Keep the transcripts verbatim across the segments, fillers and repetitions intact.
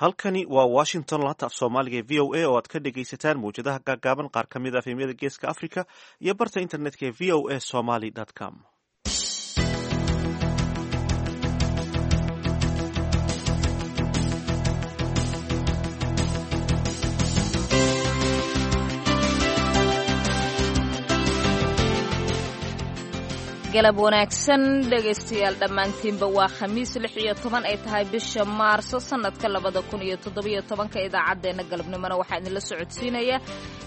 Halkani waa Washington, laanta af Soomaaliga ee V O A, oo aad ka dhegaysataan mawjadaha gaagaaban, qaar ka mid ah F M-yada Geeska Africa iyo barta internetka ee V O A Somali com. Galab wanaagsan, dhegaystayaal dhammaantiinba. Waa Khamiis, lix iyo toban ay tahay bisha Maarso, sannadka labada kun iyo toddobiyo tobanka. Idaacaddeenna galabnimona waxaa idinla socodsiinaya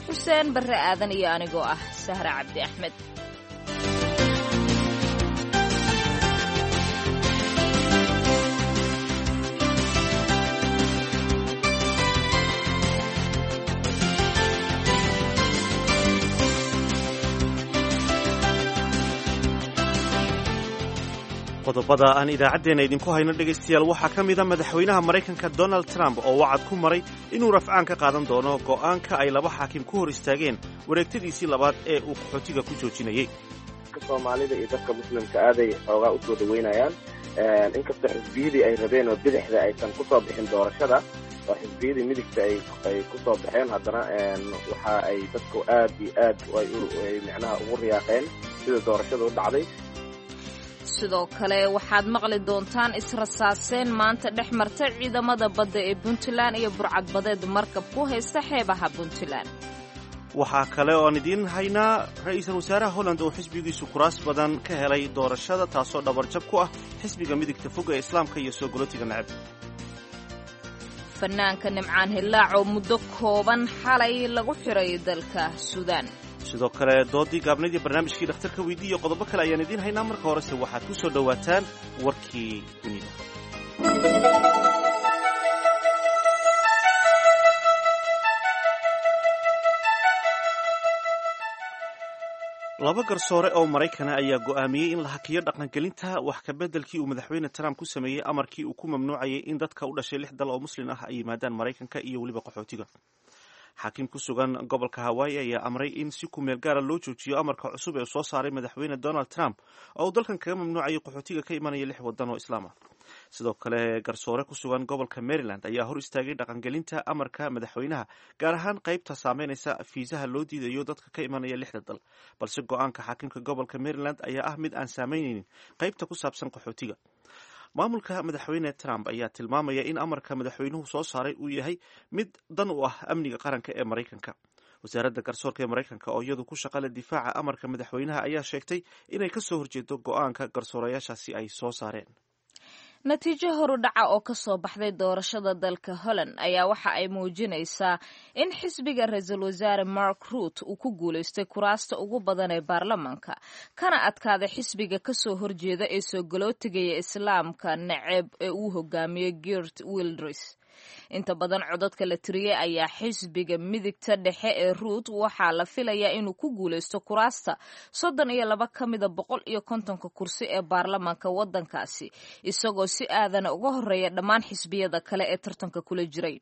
Xuseen Barre Aadan iyo anigoo ah Sahra Cabdi Axmed. Qodobada aan idaacaddeenna idinku hayno, dhegaystayaal, waxaa ka mid a madaxweynaha Maraykanka Donald Trump oo wacad ku maray inuu rafcaan ka qaadan doono go'aanka ay laba xaakim ku hor istaageen wareegtadiisii labaad ee uu qaxootiga ku joojinayey. Soomaalida iyo dadka Muslimka aaday xoogaa usoo dhaweynayaan, inkastoo xisbiyadii ay rabeen oo bidixda aysan kusoo bixin doorashada oo xisbiyadii midigta ay kusoo baxeen, haddana waxa ay dadku aad iyo aad ay micnaha ugu riyaaqeen sida doorashada u dhacday. Sidoo kale waxaad maqli doontaan israsaaseen maanta dhex marta ciidamada badda ee Puntland iyo burcadbadeed markab ku haysta xeebaha Puntland. Waxaa kale oo aan idiin haynaa ra-iisul wasaaraha Holland oo xisbigiisu kuraas badan ka helay doorashada, taasoo dhabarjab ku ah xisbiga midigta fog ee Islaamka iyo soo golotiga necab. Fanaanka Nimcaan Hillaac oo muddo kooban xalay lagu xiray dalka Suudaan. Sidoo kale doodii gaabnaydii, barnaamijkii dhakhtarka weydii iyo qodobo kale ayaan idiin haynaa. Marka horese waxaad ku soo dhowaataan warkii dunida. Laba garsoore oo Maraykana ayaa go'aamiyey in la hakiyo dhaqangelinta wax kabeddelkii uu madaxweyne Trump ku sameeyey amarkii uu ku mamnuucayay in dadka u dhashay lix dal oo Muslim ah ay yimaadaan Maraykanka iyo weliba qaxootiga. Xaakim ku sugan gobolka Hawaii ayaa amray in si kumeel gaara loo joojiyo amarka cusub ee soo saaray madaxweyne Donald Trump oo uu dalkan kaga mamnuucayay qaxootiga ka imanaya lix wadan oo Islaam ah. Sidoo kale garsoore ku sugan gobolka Maryland ayaa hor istaagay dhaqangelinta amarka madaxweynaha, gaar ahaan qaybta saameynaysa fiisaha loo diidayo dadka ka imanaya lixda dal. Balse go-aanka xaakimka gobolka Maryland ayaa ah mid aan saameyneynin qaybta ku saabsan qaxootiga. Maamulka madaxweyne Trump ayaa tilmaamaya in amarka madaxweynuhu soo saaray uu yahay mid dan u ah amniga qaranka ee Maraykanka. Wasaaradda garsoorka ee Maraykanka, oo iyadu ku shaqale difaaca amarka madaxweynaha, ayaa sheegtay inay kasoo horjeedo go-aanka garsoorayaashaasi ay soo saareen. Natiijo horudhaca oo ka soo baxday doorashada dalka Holland ayaa waxa ay muujinaysaa in xisbiga ra-iisul wasaare Mark Rutte uu ku guulaystay kuraasta ugu badan ee baarlamaanka, kana adkaaday xisbiga kasoo horjeeda ee soo galootigaya Islaamka naceeb ee uu hogaamiyo Geert Wilders. Inta badan codadka la tiriyey ayaa xisbiga midigta dhexe ee Rutte waxaa la filayaa inuu ku guulaysto kuraasta soddon iyo laba ka mida boqol iyo kontonka kursi ee baarlamaanka waddankaasi, isagoo si aadana uga horeeya dhammaan xisbiyada kale ee tartanka kula jiray.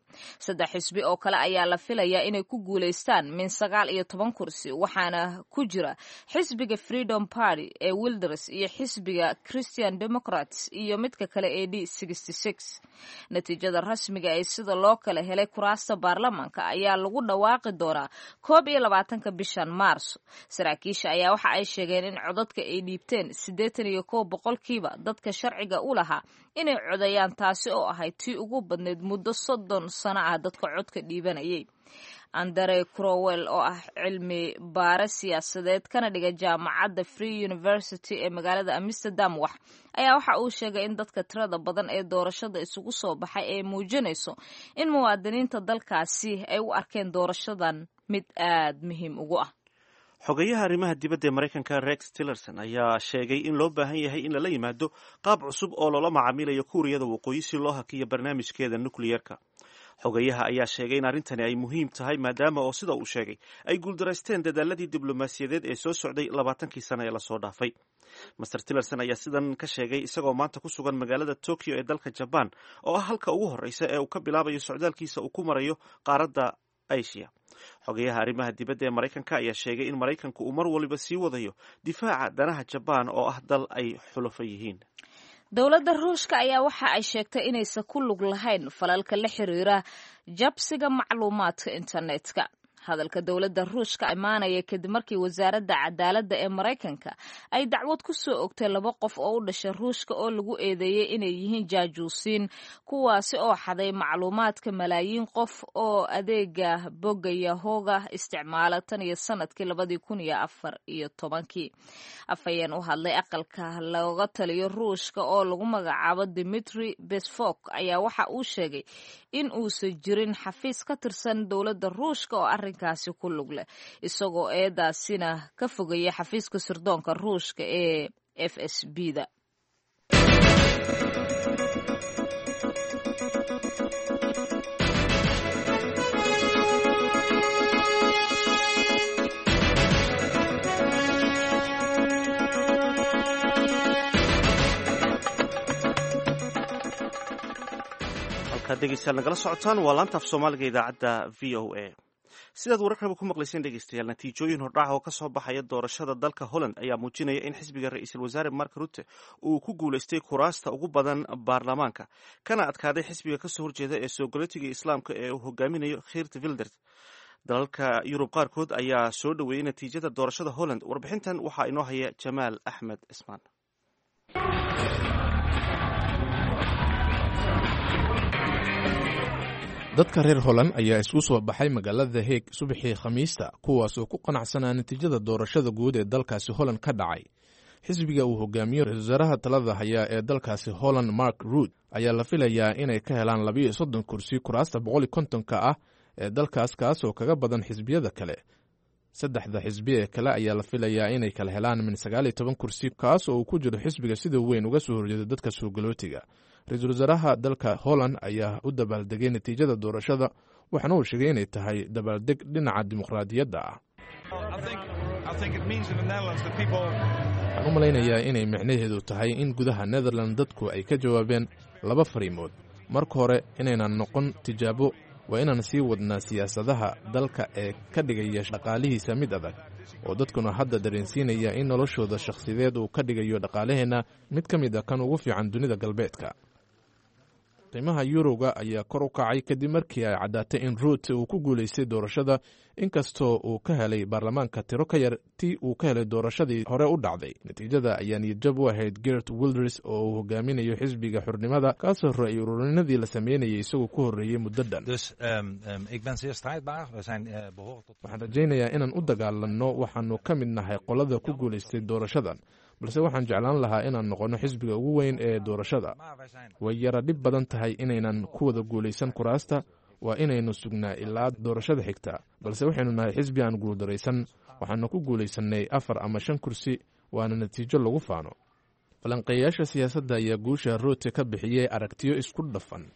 Saddex xisbi oo kale ayaa la filayaa inay ku guulaystaan min sagaal iyo toban kursi, waxaana ku jira xisbiga Freedom Party ee Wilders iyo xisbiga Christian Democrats iyo midka kale ee D. Natiijada rasmiga ee sida loo kala helay kuraasta baarlamaanka ayaa lagu dhawaaqi doonaa koob iyo labaatanka bishan Maarso. Saraakiisha ayaa waxa ay sheegeen in codadka ay dhiibteen siddeetan iyo kow boqolkiiba dadka sharciga u lahaa inay codayaan, taasi oo ahayd tii ugu badnayd muddo soddon sano ah dadka codka dhiibanayay. Andre Crowell, oo ah cilmi baare siyaasadeed kana dhiga jaamacadda Free University ee magaalada Amsterdam wax ayaa waxa uu sheegay in dadka tirada badan ee doorashada isugu soo baxay ay muujinayso in muwaadiniinta dalkaasi ay u arkeen doorashadan mid aad muhiim ugu ah. Xogeyaha arrimaha dibadda ee Maraykanka Rex Tillerson ayaa sheegay in loo baahan yahay in lala yimaado qaab cusub oo loola macaamilayo Kuuriyada Waqooyi si loo hakiyo barnaamijkeeda nukliyeerka. Xogeyaha ayaa sheegay in arrintani ay muhiim tahay, maadaama oo, sida uu sheegay, ay guuldaraysteen dadaaladii diblomaasiyadeed ee soo socday labaatankii sano ee lasoo dhaafay. Mister Tillerson ayaa sidan ka sheegay isagoo maanta ku sugan magaalada Tokyo ee dalka Jaban, oo ah halka ugu horreysa ee uu ka bilaabayo socdaalkiisa uu ku marayo qaaradda Asia. Xogeyaha arrimaha dibadda ee Maraykanka ayaa sheegay in Maraykanku uu mar waliba sii wadayo difaaca danaha Jabaan, oo ah dal ay xulafo yihiin. Dowladda Ruushka ayaa waxa ay sheegtay inaysan ku lug lahayn falalka la xiriira jabsiga macluumaadka internetka. Hadalka dowladda Ruushka imaanaya kadib markii wasaaradda cadaaladda ee Maraykanka ay dacwad ku soo ogtay laba qof oo u dhashay Ruushka oo lagu eedeeyey inay yihiin jaajuusiin, kuwaasi oo xaday macluumaadka malaayiin qof oo adeega bogga Yahooga isticmaala tan iyo sanadkii labadii kun iyo afar iyo tobankii. Afhayeen u hadlay aqalka looga taliyo Ruushka oo lagu magacaabo Dimitri Besfok ayaa waxa uu sheegay in uusan jirin xafiis ka tirsan dowladda Ruushka oo arrinkaasi ku lug leh, isagoo eedaasina ka fogaya xafiiska sirdoonka Ruushka ee F S B da. Halkaad dhegeystayaal nagala socotaan waa laanta af Soomaaliga idaacadda V O A. Sidaad wararkaba ku maqlayseen dhegeystayaal, natiijooyin hordhac oo ka soo baxaya doorashada dalka Holland ayaa muujinaya in xisbiga ra-iisul wasaare Mark Rutte uu ku guulaystay kuraasta ugu badan baarlamaanka, kana adkaaday xisbiga kasoo horjeeda ee soogalotiga islaamka ee uu hogaaminayo Geert Wilders. Dalalka Yurub qaarkood ayaa soo dhoweeyey natiijada doorashada Holland. Warbixintan waxaa inoo haya Jamaal Axmed Cismaan. Dadka reer Holland ayaa isku soo baxay magaalada Heeg subaxii Khamiista, kuwaas oo ku qanacsanaa natiijada doorashada guud ee dalkaasi Holland ka dhacay. Xisbiga uu hogaamiyo ra-isul wasaaraha talada haya ee dalkaasi Holland, Mark Rutte, ayaa la filayaa inay ka helaan labiyo soddon kursi kuraasta boqol iyo kontonka ah ee dalkaas, kaasoo kaga badan xisbiyada kale. Saddexda xisbi ee kale ayaa la filayaa inay kala helaan min sagaal iyo toban kursi, kaas oo uu ku jiro xisbiga sida weyn uga soo horjeeda dadka soogalotiga. Ra-iisul wasaaraha dalka Holland ayaa u dabaaldegay natiijada doorashada, waxaana uu sheegay inay tahay dabaaldeg dhinaca dimuqraadiyadda ah. Waxaan u malaynayaa inay micnaheedu tahay in gudaha Netherland dadku ay ka jawaabeen laba fariimood. Marka hore, inaynan noqon tijaabo, waa inaan sii wadnaa siyaasadaha dalka ee ka dhigaya dhaqaalihiisa mid adag, oo dadkuna hadda dareensiinaya in noloshooda shakhsideed uu ka dhigayo dhaqaalaheenna mid ka mid a kan ugu fiican dunida galbeedka. Qiimaha yuroga ayaa kor u kacay kadib markii ay caddaatay in Ruut uu ku guulaystay doorashada, inkastoo uu ka helay baarlamaanka tiro ka yar tii uu ka helay doorashadii hore u dhacday. Natiijada ayaa niyadjab u ahayd Gert Wilders oo uu hogaaminayo xisbiga xurnimada, kaasoo ra-y ururinadii la sameynayay isagoo ku horreeyey muddo dhan. Waxaan rajaynayaa inaan u dagaalanno, waxaanu ka mid nahay qolada ku guulaystay doorashadan, balse waxaan jeclaan lahaa inaan noqonno xisbiga ugu weyn ee doorashada. Way yara dhib badan tahay inaynan ku wada guulaysan kuraasta, waa inaynu sugnaa ilaa doorashada xigta, balse waxaynu nahay xisbi aan guuldaraysan. Waxaanu ku guulaysannay afar ama shan kursi, waana natiijo lagu faano. Falanqeeyayaasha siyaasadda ayaa guusha Ruute ka bixiyey aragtiyo isku dhafan.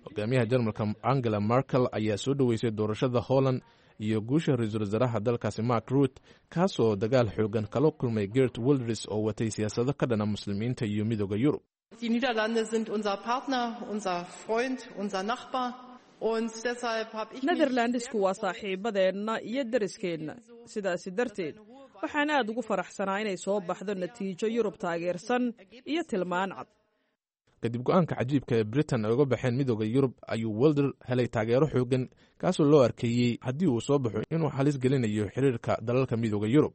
Hogaamiyaha Jarmalka Angela Merkel ayaa soo dhoweysay doorashada Holland iyo guusha ra-iisul wasaaraha dalkaasi Mark Rutte, kaasoo dagaal xoogan kala kulmay Gert Wilders oo watay siyaasado ka dhana muslimiinta iyo midooda Yurub. Die Niederlande sind unser Partner, unser Freund, unser Nachbar. Und deshalb habe ich Netherlandisku waa saaxiibadeenna iyo deriskeenna, sidaasi darteed waxaan aad ugu faraxsanaa inay soo baxdo natiijo Yurub taageersan iyo tilmaan cad. Kadib go-aanka cajiibka ee Britain ay uga baxeen midooda Yurub ayuu Wilder helay taageero xoogan, kaasoo loo arkeeyey haddii uu soo baxo inuu halis gelinayo xiriirka dalalka midooda Yurub.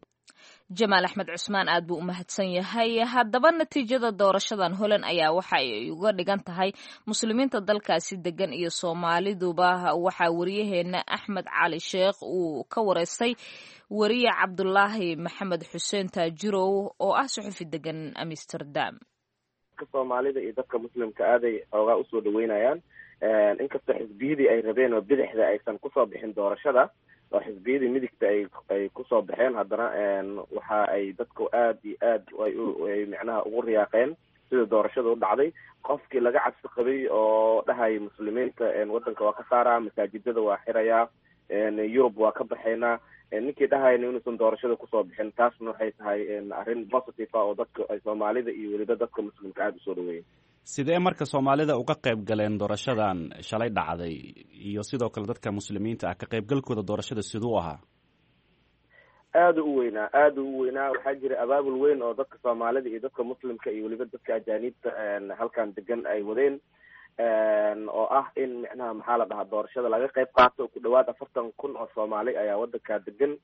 Jamaal Axmed Cusmaan aad buu u mahadsan yahay. Haddaba natiijada doorashadan Holland ayaa waxa ay uga dhigan tahay muslimiinta dalkaasi degan iyo Soomaaliduba. Waxaa wariyaheena Axmed Cali Sheekh uu ka wareystay wariye Cabdulaahi Maxamed Xuseen Taajirow oo ah suxufi degan Amsterdam. Soomaalida iyo dadka muslimka aaday xoogaa usoo dhaweynayaan, inkastoo xisbiyadii ay rabeen oo bidixda aysan kusoo bixin doorashada, oo xisbiyadii midigta ay ay kusoo baxeen, haddana waxa ay dadku aad iyo aad ay micnaha ugu riyaaqeen sida doorashada u dhacday. Qofkii laga cabsi qabay oo dhahaya muslimiinta waddanka waa ka saaraa, masaajidada waa xirayaa, Yurub waa ka baxaynaa, ninkii dhahayna inuusan doorashada kusoo bixin, taasna waxay tahay arrin positive ah oo dadka ay Soomaalida iyo weliba dadka muslimka aada usoo dhaweeyeen. Sidee marka Soomaalida uga qayb galeen doorashadan shalay dhacday, iyo sidoo kale dadka muslimiinta ah ka qaybgalkooda doorashada siduu ahaa? Aada u weynaa, aada u weynaa. Waxaa jira abaabul weyn oo dadka Soomaalida iyo dadka Muslimka iyo weliba dadka ajaaniibta halkan degan ay wadeen, oo ah in micnaha maxaa la dhahaa doorashada laga qayb qaato. Ku dhawaad afartan kun oo Soomaali ayaa wadankaa degan.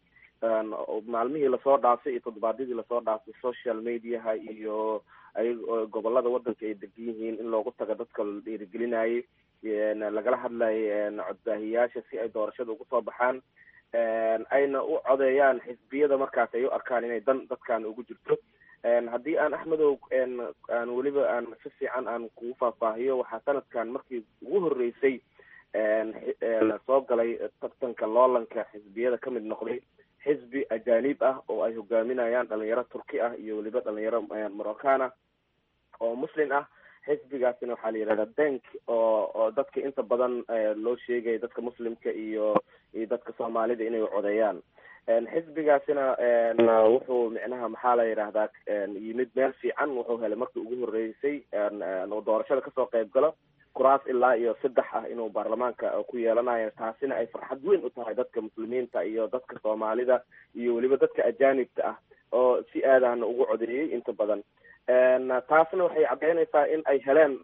Maalmihii lasoo dhaafay iyo toddobaadyadii lasoo dhaafay social mediaha iyo ay gobolada wadanka ay degan yihiin in loogu tago dadka la dhiirigelinayay, lagala hadlayay codbaahiyaasha si ay doorashada ugu soo baxaan, ayna u codeeyaan xisbiyada markaas ay u arkaan inay dan dadkan ugu jirto. Haddii aan Axmedow aan weliba aan si fiican aan kugu faahfaahiyo, waxaa sanadkan markii ugu horreysay soo galay tartanka loolanka xisbiyada kamid noqday xisbi ajaanib ah oo ay hogaaminayaan dhalinyaro Turki ah iyo weliba dhalinyaro Moroccan ah oo Muslim ah. Xisbigaasina waxaa la yihahdaa Denk, oo oo dadka inta badan loo sheegaya dadka Muslimka iyo iyo dadka Soomaalida inay codeeyaan. Xisbigaasina wuxuu micnaha maxaa la yidhahdaa yimid meel fiican. Wuxuu helay markii ugu horreysay oo doorashada kasoo qayb galo kuraas ilaa iyo saddex ah inuu baarlamaanka ku yeelanayo, taasina ay farxad weyn u tahay dadka Muslimiinta iyo dadka Soomaalida iyo weliba dadka ajaanibta ah oo si aadahna ugu codeeyey inta badan. Taasna waxay caddeynaysaa in ay heleen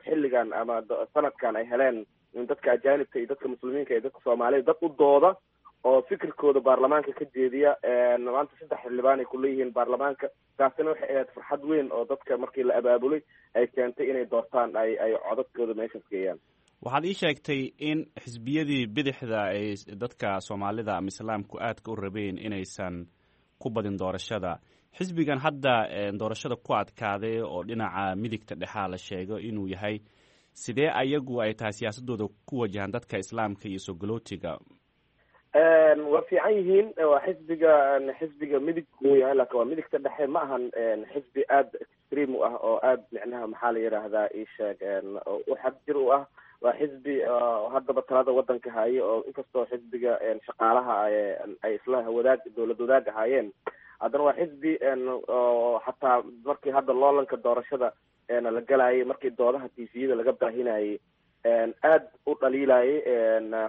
xilligan ama sanadkan ay heleen in dadka ajaanibta iyo dadka Muslimiinka iyo dadka Soomaalida dad u dooda oo fikirkooda baarlamaanka ka jeediya. Maanta saddex xildhibaan ay kuleeyihiin baarlamaanka. Taasina waxay ahayd farxad weyn oo dadka markii la abaabulay ay keentay inay doortaan, ay ay codadkooda meeshaas geeyaan. Waxaad ii sheegtay in xisbiyadii bidixda ay dadka Soomaalida ama Islaamku aadka u rabeen inaysan ku badin doorashada. Xisbigan hadda doorashada ku adkaaday oo dhinaca midigta dhexaa la sheego inuu yahay, sidee ayagu ay tahay siyaasadooda ku wajahan dadka Islaamka iyo soo galootiga? Waa fiican yihiin. Waa xisbiga xisbiga midig uu yahay, laakin waa midigta dhexe. Ma ahan xisbi aada extreme u ah oo aada micnaha maxaa la yidhaahdaa isheeg u xagjir u ah. Waa xisbi haddaba talada wadanka haye, oo inkastoo xisbiga shaqaalaha ay isla wadaag dowlad wadaag ahaayeen, haddana waa xisbi oo xataa markii hadda loolanka doorashada la galayay, markii doodaha T V-yada laga baahinayay, aad u dhaliilayay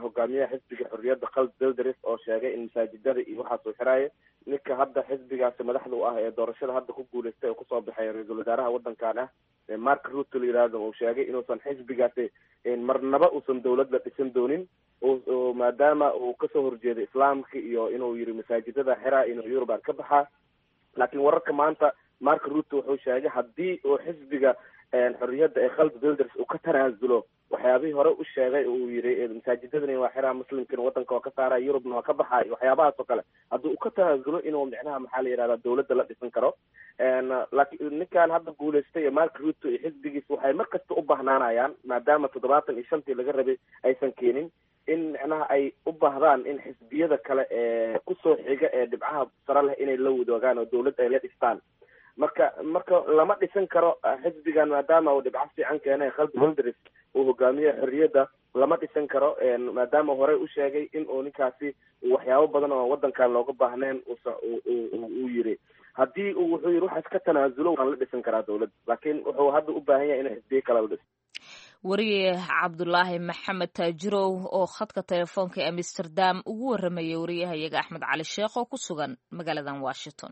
hogaamiyaha xisbiga xorriyadda Geert Wilders oo sheegay in masaajidada iyo waxaas uu xiraayo. Ninka hadda xisbigaasi madaxda u ah ee doorashada hadda ku guuleystay oo kusoo baxay ra-iisul wasaaraha wadankan ah, Mark Rutte la yihahdo, uu sheegay inuusan xisbigaasi marnaba uusan dowlad la dhisan doonin, maadaama uu kasoo horjeeday Islaamka iyo inuu yiri masaajidada xiraa, inuu Yuruban ka baxaa. Laakiin wararka maanta, Mark Rutte wuxuu sheegay haddii uu xisbiga xorriyadda ee Geert Wilders uu ka tanaasulo waxyaabihii hore u sheegay, uu yiri masaajidadani waa xiraa, Muslimkina wadanka waa ka saara, Yurubna waa ka baxay, waxyaabahaas oo kale haddii uu ka tanaasulo, inuu micnaha maxaa la yihahdaa dowladda la dhisan karo. Laakiin ninkan hadda guuleystay ee Mark Rutte iyo xisbigiisa waxay mar kasta u bahnaanayaan, maadaama toddobaatan iyo shantii laga rabay aysan keenin, in micnaha ay u baahdaan in xisbiyada kale ee kusoo xiga ee dhibcaha sare leh inay la wadoogaan oo dowladda ay la dhistaan. Marka marka lama dhisan karo xisbigan, maadaama uu dhibco fiican keenay Geert Wilders uu hogaamiye xorriyadda, lama dhisan karo, maadaama horey u sheegay in uu ninkaasi waxyaabo badan oo wadankan looga baahnayn uu yiri. Haddii uu wuxuu yiri waxaas ka tanaasulo, waan la dhisan karaa dowladda, laakiin wuxuu hadda u baahan yahay inuu xisbiye kale la dhiso. Wariye Cabdulaahi Maxamed Taajirow oo khadka telefoonka ee Amsterdam ugu waramayay wariyahayaga Axmed Cali Sheekh oo ku sugan magaaladan Washington.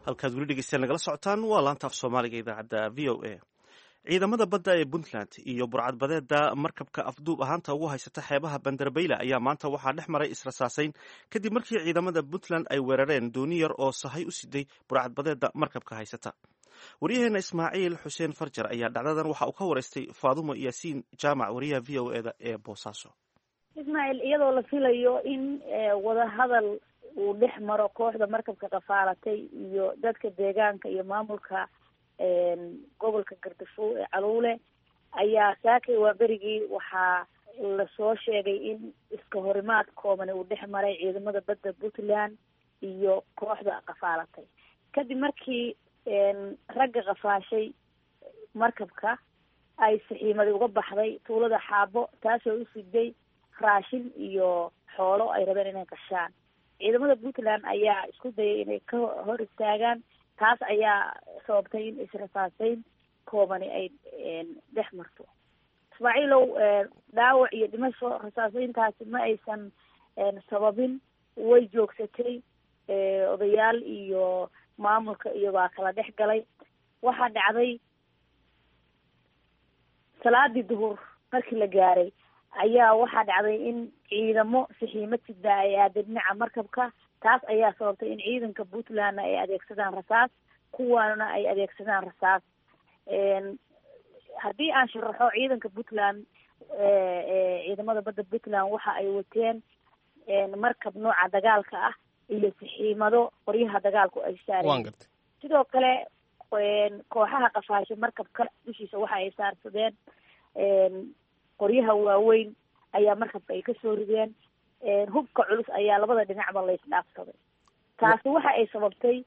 Halkaad weli dhegeystayaal nagala socotaan waa laanta af Soomaaliga idaacadda V O A. Ciidamada badda ee Puntland iyo burcadbadeeda markabka afduub ahaanta ugu haysata xeebaha Bandarbayla ayaa maanta waxaa dhex maray israsaasayn, kadib markii ciidamada Puntland ay weerareen dooni yar oo sahay u siday burcadbadeeda markabka haysata. Waryaheena Ismaaciil Xuseen Farjar ayaa dhacdadan waxa uu ka waraystay Faadumo Yaasiin Jaamac, wariyaha V O E da ee Boosaaso. Ismaaciil, iyadoo la filayo in wadahadal uu dhex maro kooxda markabka qafaalatay iyo dadka deegaanka iyo maamulka gobolka Gardafo ee Caluule, ayaa saakay waa berigii waxaa lasoo sheegay in iska horimaad koobani uu dhex maray ciidamada badda Puntland iyo kooxda qafaalatay, kadib markii ragga qafaashay markabka ay saxiimadi uga baxday tuulada Xaabo, taasoo u siday raashin iyo xoolo ay rabeen inay qashaan. Ciidamada Puntland ayaa isku dayay inay ka hor istaagaan, Taas ayaa sababtay in israsaaseyn koobani ay dhex marto. Ismaaciilow, dhaawac iyo dhimasho rasaaseyntaasi ma aysan sababin, way joogsatay. Odayaal iyo maamulka iyo baa kala dhex galay. Waxaa dhacday salaadii duhur markii la gaaray ayaa waxaa dhacday in ciidamo saxiimad sidaa ay aadeen dhinaca markabka. Taas ayaa sababtay in ciidanka Puntlandna ay adeegsadaan rasaas, kuwaana ay adeegsadaan rasaas. Haddii aan sharaxo, ciidanka Puntland, ciidamada badda Puntland waxa ay wateen markab nooca dagaalka ah iyo saxiimado qoryaha dagaalku ay saareen. Sidoo kale kooxaha qafaasho markabka dushiisa waxa ay saarsadeen qoryaha waaweyn ayaa markabka ay kasoo rideen. Hubka culus ayaa labada dhinacba laysdhaafsaday. Taasi waxa ay sababtay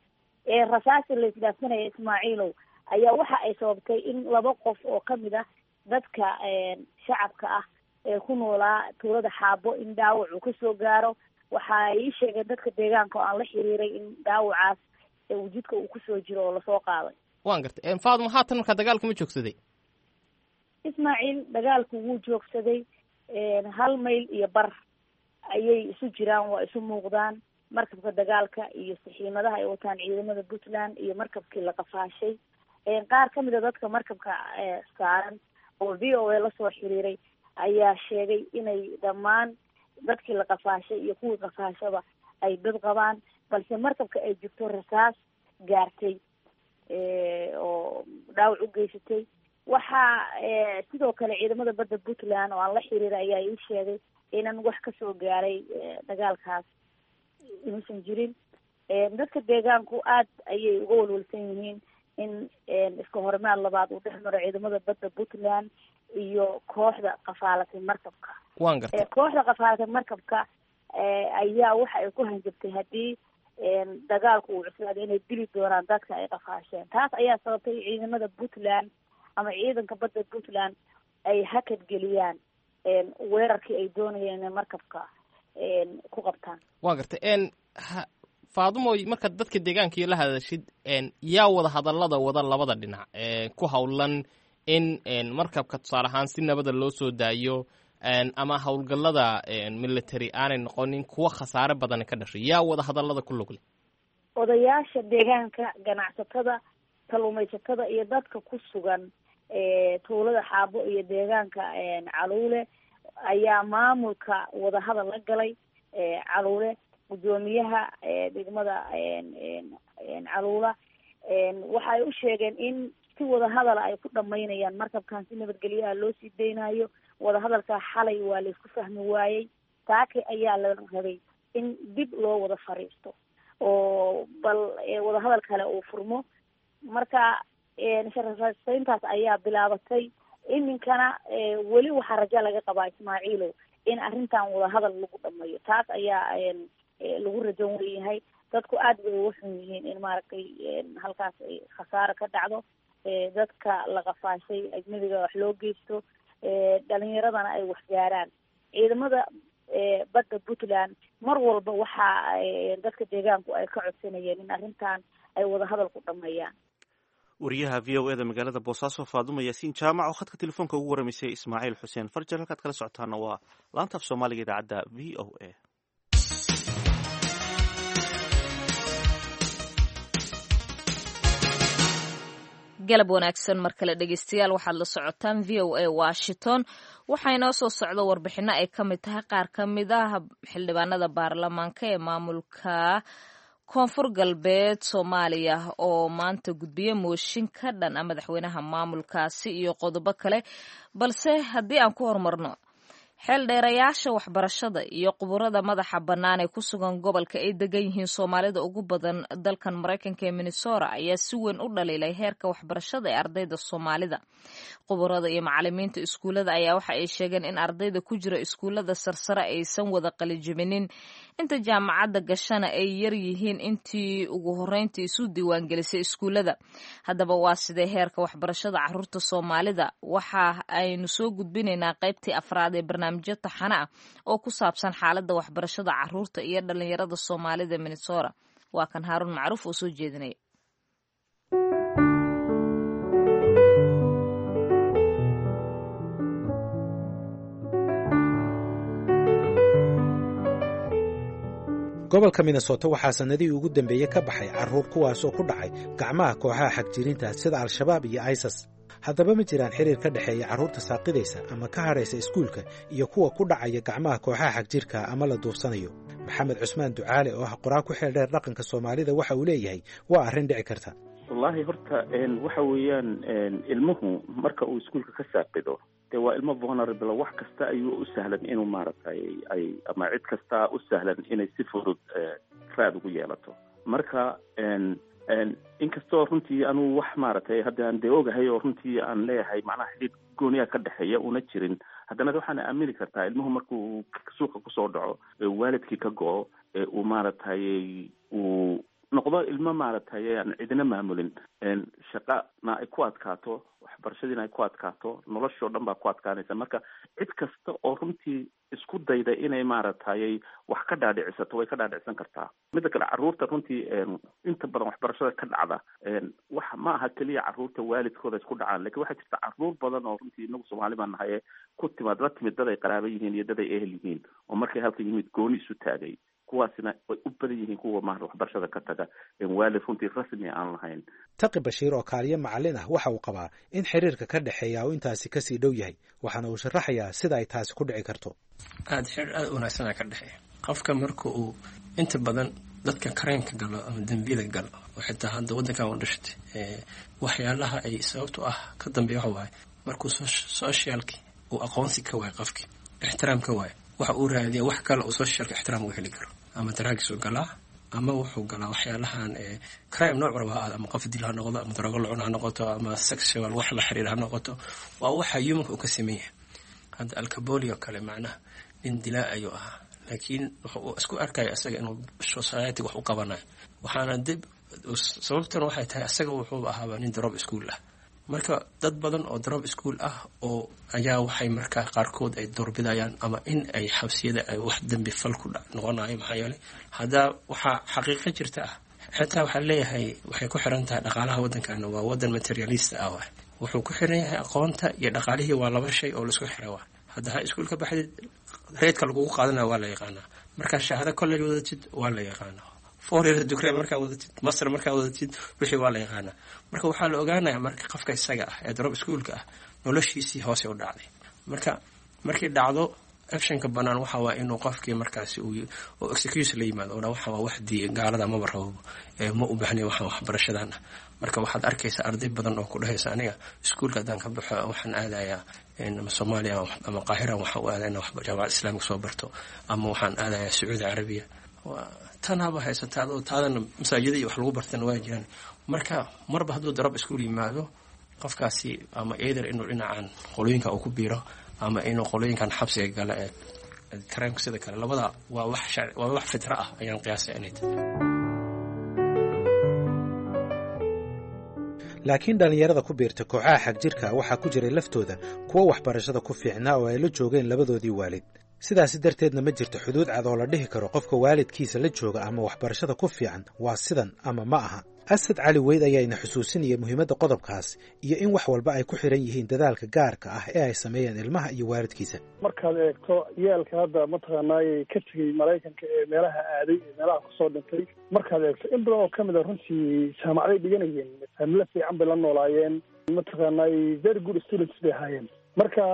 rasaasi laysdhaafsanaya, Ismaaciilow, ayaa waxa ay sababtay in laba qof oo kamid ah dadka shacabka ah ee ku noolaa tuulada Xaabo in dhaawac uu kasoo gaaro. Waxa ay ii sheegeen dadka deegaanka oo aan la xiriiray in dhaawacaas wujudka uu kusoo jiro oo lasoo qaaday. Waan gartay, Faaduma. Haatan markaa dagaalku ma joogsaday? Ismaaciil, dagaalku wuu joogsaday. Hal mayl iyo bar ayay isu jiraan, waa isu muuqdaan markabka dagaalka iyo saxiimadaha ay wataan ciidamada Puntland iyo markabkii la qafaashay. Qaar kamid a dadka markabka saaran oo V O A lasoo xiriiray ayaa sheegay inay dhammaan dadkii la qafaashay iyo kuwii qafaashaba ay dad qabaan, balse markabka ay jirto rasaas gaartay oo dhaawac u geysatay. Waxaa sidoo kale ciidamada badda Puntland oo aan la xiriiray ayaa ii sheegay inan wax kasoo gaaray dagaalkaas inuusan jirin. Dadka deegaanku aad ayay uga walwalsan yihiin in iska horimaad labaad uu dhex maro ciidamada badda Puntland iyo kooxda qafaalatay markabka. Waan gartay. Kooxda qafaalatay markabka ayaa waxa ay ku hanjabtay haddii dagaalku uu cuslaado inay dili doonaan dadka ay qafaasheen. Taas ayaa sababtay ciidamada Puntland ama ciidanka badda Puntland ay hakad geliyaan weerarkii ay doonayeen inay markabka ku qabtaan. Waan gartay, Faadumoy. Markaad dadka deegaanka iyo la hadashid, yaa wada hadallada wada labada dhinac ku howlan in markabka tusaale ahaan si nabada loo soo daayo ama howlgallada military aanay noqonin kuwa khasaare badani ka dhashay? Yaa wada hadallada ku lug leh? Odayaasha deegaanka, ganacsatada, kalluumaysatada iyo dadka ku sugan tuulada Xaabo iyo deegaanka Caluule ayaa maamulka wadahadal la galay. Caluule, guddoomiyaha degmada Caluula, waxay u sheegeen in si wadahadala ay ku dhamaynayaan markabkan, si nabadgelyaha loo sii daynayo. Wadahadalkaa xalay waa laisku fahmi waayey. Saaki ayaa la rabay in dib loo wada fariisto oo bal wadahadal kale uu furmo. Marka sharasayntaas ayaa bilaabatay. Iminkana weli waxaa raja laga qabaa, Ismaaciilow, in arrintan wadahadal lagu dhamayo. Taas ayaa lagu rajon weyahay. Dadku aad bay uga xun yihiin in maaragtay halkaas ay khasaaro ka dhacdo, dadka la qafaashay ajnabiga wax loo geysto, dhalinyaradana ay wax gaaraan. Ciidamada badda Puntland mar walba waxa dadka deegaanku ay ka codsanayeen in arrintan ay wadahadal ku dhameeyaan. Wariyaha V O E da magaalada Boosaaso, Faadumo Yaasiin Jaamac, oo khadka telefoonka ugu waramaysay Ismaaciil Xuseen Farjar. Halkaad kala socotaana waa laanta af Soomaaliga idaacadda V O A. Galab wanaagsan mar kale, dhegeystayaal. Waxaad la socotaan V O A Washington. Waxaa inoo soo socda warbixino ay ka mid tahay qaar ka mid ah xildhibaanada baarlamaanka ee maamulka Koonfur Galbeed Soomaaliya oo maanta gudbiya mooshin ka dhan ah madaxweynaha maamulkaasi iyo qodobo kale, balse haddii aan ku horumarno xeeldheerayaasha waxbarashada iyo quburada madaxa bannaan ee ku sugan gobolka ay degan yihiin Soomaalida ugu badan dalkan Maraykanka ee Minnesota ayaa si weyn u dhaliilay heerka waxbarashada ee ardayda Soomaalida. Quburada iyo macalimiinta iskuullada ayaa waxa ay sheegeen in ardayda ku jira iskuullada sarsare aysan wada qalijibinin, inta jaamacadda gashana ay yar yihiin intii ugu horreyntii isu diiwaangelisay iskuullada. Haddaba waa sidee heerka waxbarashada caruurta Soomaalida? Waxa aynu soo gudbinaynaa qaybtii afraad ee barnaamijyo taxane ah oo ku saabsan xaaladda waxbarashada caruurta iyo dhalinyarada Soomaalida Minnesota. Waa kan Haaruun Macruuf oo soo jeedinaya. Gobolka Minnesota waxaa sannadihii ugu dambeeyey ka baxay carruur kuwaasoo ku dhacay gacmaha kooxaha xagjiriinta sida Al-Shabaab iyo ISIS. Haddaba, ma jiraan xiriir ka dhexeeya carruurta saaqidaysa ama ka hadhaysa iskuulka iyo kuwa ku dhacaya gacmaha kooxaha xagjirka ama la duufsanayo? Maxamed Cusmaan Ducaale oo ah qoraa ku xeel dheer dhaqanka Soomaalida waxa uu leeyahay waa arrin dhici karta. Wallaahi horta waxa weeyaan, ilmuhu marka uu iskuulka ka saaqido, dee waa ilmo vulnerable. Wax kasta ayuu u sahlan inuu maaragtay ay ama cid kasta u sahlan inay si fudud raad ugu yeelato. Marka inkastoo runtii anuu wax maaragtay hadda aan dee ogahay oo runtii aan leeyahay macnaha xidhiid gooniyaa ka dhexeeya una jirin, haddana waxaana aamini kartaa ilmuhu markuu suuqa kusoo dhaco, waalidkii ka go-o, uu maaragtay uu noqdo ilmo maaragtay aan cidina maamulin, shaqana ay ku adkaato, waxbarashadiina ay ku adkaato, noloshoo dhan baa ku adkaanaysa. Marka cid kasta oo runtii isku dayda inay maaragtay wax ka dhaadhicisato way ka dhaadhicsan kartaa. Midda kale, carruurta runtii inta badan waxbarashada ka dhacda wax ma aha keliya carruurta waalidkooda isku dhacaan, lakin waxaa jirta carruur badan oo runtii inagu Soomaali baan nahay ku timaad la timid dad ay qaraaba yihiin iyo dad ay ehel yihiin oo markay halka yimid gooni isu taagay. Kuwaasina way u badan yihiin kuwa maarata waxbarashada ka taga waalid runtii rasmi aan lahayn. Taqi Bashiir oo kaaliyo macallin ah waxa uu qabaa in xiriirka ka dhexeeya uu intaasi kasii dhow yahay, waxaana uu sharaxayaa sida ay taasi ku dhici karto. Aada xiriir aada u wanaagsanaa ka dhexeeya. Qofka marka uu inta badan dadka crime-ka galo ama dembiyada galo oo xitaa hadda waddankan u dhashtay, waxyaalaha ay sababto ah ka dambeeya waxa waaye markuu socialki uu aqoonsi ka waayo, qofki ixtiraam ka waayo, waxa uu raadiya wax kale uu socialka ixtiraam uga heli karo. Ama drugs uu galaa ama wuxuu galaa waxyaalahan crime nooc raba ha ahaado, ama qof dil ha noqdo, ama daroogo lacun ha noqoto, ama sexual wax la xiriir ha noqoto. Waa waxa humanka uu ka sameyn yahay. Hadda Al Capone oo kale, macnaha nin dilaa ayuu ahaa, laakiin wuxuu isku arkaya isaga inuu society wax u qabanayo. Waxaana dib sababtuna waxay tahay isaga wuxuu ahaaba nin drop school ah. Marka dad badan oo drop school ah oo ayaa waxay markaa qaarkood ay doorbidayaan ama in ay xabsiyada ay wax dembi fal ku noqonayo. Maxaa yeelay, haddaa waxaa xaqiiqo jirta ah, xitaa waxaa leeyahay waxay ku xiran tahay dhaqaalaha waddankana. Waa waddan materialist ah waay. Wuxuu ku xiran yahay aqoonta iyo dhaqaalihii, waa laba shay oo laisku xira. Waa hadda ha iskuul ka baxdid, rate-ka lagugu qaadanaya waa la yaqaanaa. Markaa shahaado college wadatid waa la yaqaanaa, four year degree markaa wadatid, master markaa wadatid, wixii waa la yaqaanaa. Marka waxaa la ogaanaya marka qofka isaga ah ee drop schoolka ah noloshiisii hoose u dhacday. Marka markii dhacdo, optionka banaan waxa waa inuu qofkii markaasi uu oo excuse la yimaado oo dha waxa waa wax dii gaalada maba rabo, ma u baahnayn waxaan waxbarashadan ah. Marka waxaad arkaysaa arday badan oo ku dhahaysa, "Aniga iskuulka haddaan ka baxo waxaan aadayaa ama Soomaaliya ama Qaahira, waxaan u aadaya inaan jaamacad Islaamika soo barto, ama waxaan aadayaa Sacuudi Carabiya." Tan haba haysataa adoo taadana masaajida iyo wax lagu bartana waa jiraan. Marka marba hadduu drop school yimaado qofkaasi, ama either inuu dhinacan qolooyinka uu ku biiro ama inuu qolooyinkan xabsiga gala ee crime-ka sida kale, labada waa wax waa wax fitra ah ayaan qiyaasay inay tahay. Laakiin dhallinyarada ku biirta kooxaha xagjirka waxaa ku jiray laftooda kuwo waxbarashada ku fiicnaa oo ay la joogeen labadoodii waalid. Sidaasi darteedna ma jirto xuduud cad oo la dhihi karo qofka waalidkiisa la jooga ama waxbarashada ku fiican waa sidan ama ma aha. Asad Cali Weyd ayaa ina xusuusinaya muhiimadda qodobkaas iyo in wax walba ay ku xiran yihiin dadaalka gaarka ah ee ay sameeyeen ilmaha iyo waalidkiisa. Markaad eegto ciyaalka hadda mataqaanaayay ka tegey Maraykanka ee meelaha aaday ee meelaha kusoo dhintay, markaad eegto in badan oo kamid a runtii jaamacaday dhiganayeen, familo fiican bay la noolaayeen, mataqaanaay very good students bay ahaayeen. Marka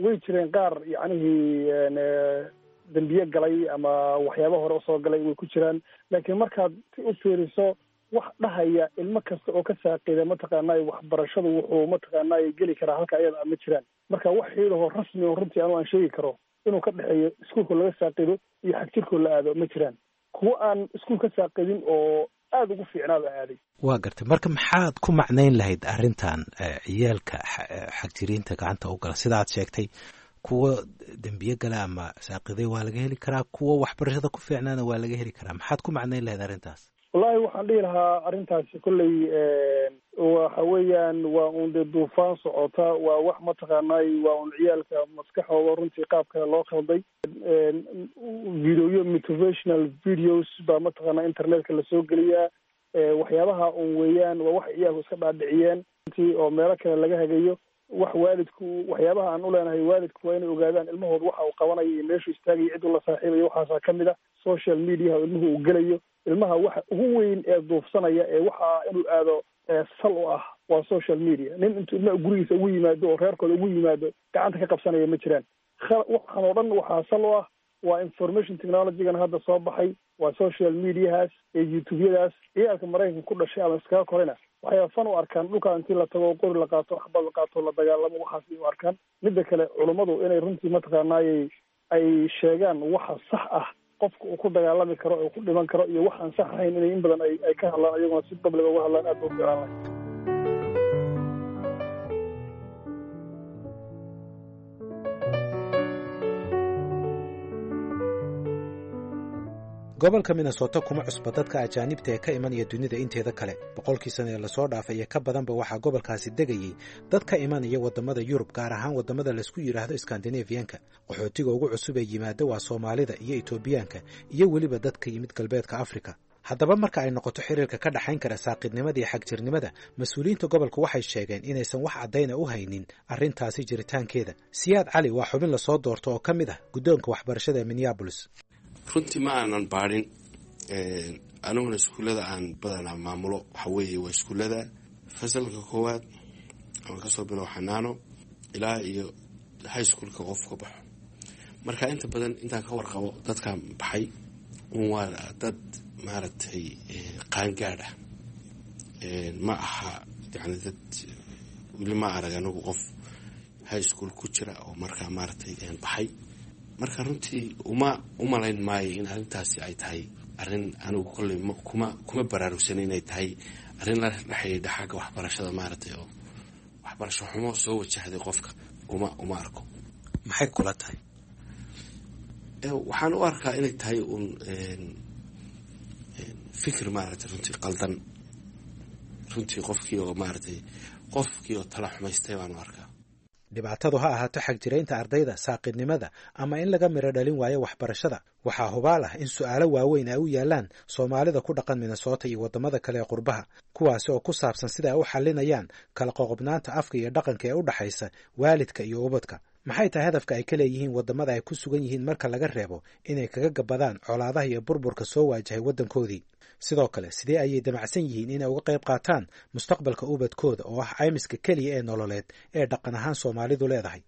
way jireen qaar yacnihii dembiye galay ama waxyaaba hore usoo galay, way ku jiraan. Laakiin markaad si u fiiriso, wax dhahaya ilmo kasta oo ka saaqida mataqaanay waxbarashadu wuxuu mataqaanay geli karaa halka ayada ma jiraan. Marka wax xiidahoo rasmi oo runtii anu aan sheegi karo inuu ka dhexeeyo iskuulka laga saaqido iyo xagjirkoo la aado ma jiraan. Kuwo aan iskuul ka saaqidin oo aada ugu fiicnaaba aaday. Waa gartay. Marka maxaad ku macnayn lahayd arrintan ciyaalka xagjiriinta gacanta u gala? Sida aad sheegtay, kuwa dembiye gala ama saaqiday waa laga heli karaa, kuwa waxbarashada ku fiicnaana waa laga heli karaa. Maxaad ku macnayn lahayd arrintaas? Wallahi waxaan dhihi lahaa arrintaasi kolley waxa weeyaan waa un dee duufaan socota, waa wax mataqaanay waa un ciyaalka maskaxooda runtii qaab kale loo khalday. Videoyo motivational videos baa mataqaanaa internetka lasoo geliyaa. Waxyaabaha un weeyaan waa wax ciyaalku iska dhaadhiciyeen runtii oo meelo kale laga hagayo. Wax waalidku, waxyaabaha aan u leenahay waalidku waa inay ogaadaan ilmahooda waxa uu qabanayo iyo meeshuu istaagayo, cid uu la saaxiibayo. Waxaasaa kamid a social mediaha ilmuhu uu gelayo. Ilmaha waxa ugu weyn ee duufsanaya ee waxa inuu aado sal u ah waa social media. Nin intuu ilmaha gurigiisa ugu yimaado oo reerkooda ugu yimaado gacanta ka qabsanaya ma jiraan. Waxaan oo dhan waxaa sal u ah waa information technology-gan hadda soo baxay, waa social mediahaas iyo youtube-yadaas. Ciyaalka Maraykanka ku dhashay ama iskaga korayna waxay fan u arkaan dhulkaa intii la tago, qori la qaato, xabad la qaato, la dagaalamo, waxaas ay u arkaan. Midda kale, culummadu inay runtii mataqaanaayey ay sheegaan waxa sax ah qofka uu ku dagaalami karo oo ku dhiman karo iyo waxaan sax ahayn, inay in badan ay ay ka hadlaan, iyaguna si public uga hadlaan, aad ba u fiicaan lahay. Gobolka Minnesota kuma cusba dadka ajaanibta ee ka imanaya dunida inteeda kale. Boqolkii sana ee lasoo dhaafay iyo ka badanba waxaa gobolkaasi degayey dad ka imanaya waddamada Yurub, gaar ahaan waddamada laysku yidhaahdo Skandinafiyanka. Qaxootiga ugu cusub ee yimaada waa Soomaalida iyo Etoobiyaanka iyo weliba dadka yimid galbeedka Afrika. Haddaba marka ay noqoto xiriirka ka dhexayn kara saaqidnimada iyo xagjirnimada, mas-uuliyiinta gobolka waxay sheegeen inaysan wax caddayna u haynin arrintaasi jiritaankeeda. Siyaad Cali waa xubin lasoo doorto oo ka mid ah guddoonka waxbarashada ee Minneapolis. Runtii ma aanan baadhin. Aniguna iskuullada aan badanaa maamulo waxa weeye waa iskuullada fasalka koowaad ama kasoo bilow xanaano ilaa iyo high schoolka qofka baxo. Marka inta badan intaan ka warqabo dadkan baxay un waa dad maaragtay qaangaadh ah, ma aha yani dad weli ma arag anigu qof high school ku jira oo markaa maaragtay baxay. Marka runtii uma umalayn maayo in arrintaasi ay tahay arrin anigu kolley kuma kuma baraarugsan inay tahay arrin la xidhiidha xagga waxbarashada maaragtay oo waxbarasho xumo soo wajahday qofka, uma uma arko. Maxay kula tahay? Waxaan u arkaa inay tahay uun fikir maaragtay runtii qaldan, runtii qofkii oo maaragtay qofkii oo tala xumaystay baan u arkaa. Dhibaatadu ha ahaato xagjiraynta ardayda, saaqidnimada ama in laga midho dhalin waayo waxbarashada, waxaa hubaal ah in su'aalo waaweyn ay u yaallaan Soomaalida ku dhaqan Minnesota iyo waddamada kale ee qurbaha, kuwaasi oo ku saabsan sida ay u xallinayaan kala qoqobnaanta afka iyo dhaqanka ee u dhaxaysa waalidka iyo ubadka. Maxay tahay hadafka ay ka leeyihiin waddamada ay ku sugan yihiin marka laga reebo inay kaga gabadaan colaadaha iyo burburka soo waajahay waddankoodii? Sidoo kale, sidee ayay damacsan yihiin inay uga qayb qaataan mustaqbalka ubadkooda oo ah caymiska keliya ee nololeed ee dhaqan ahaan Soomaalidu leedahay,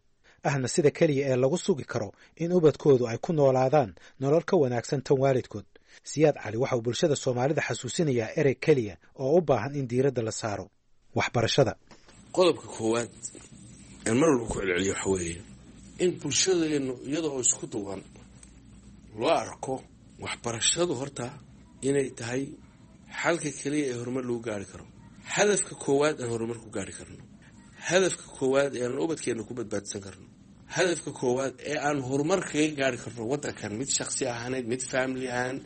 ahna sida keliya ee lagu sugi karo in ubadkoodu ay ku noolaadaan nolol ka wanaagsan tan waalidkood? Siyaad Cali waxa uu bulshada Soomaalida xasuusinayaa erey keliya oo u baahan in diiradda la saaro: waxbarashada. Qodobka koowaad aan mar walba ku celceliyo waxa weeye in bulshadeennu iyada oo isku duwan loo arko waxbarashadu horta inay tahay xalka keliya ee horumar lagu gaari karo, hadafka koowaad aan horumar ku gaari karno, hadafka koowaad ee aan ubadkeenna ku badbaadsan karno, hadafka koowaad ee aan horumar kaga gaari karno waddankan, mid shaksi ahaaneed, mid family ahaan,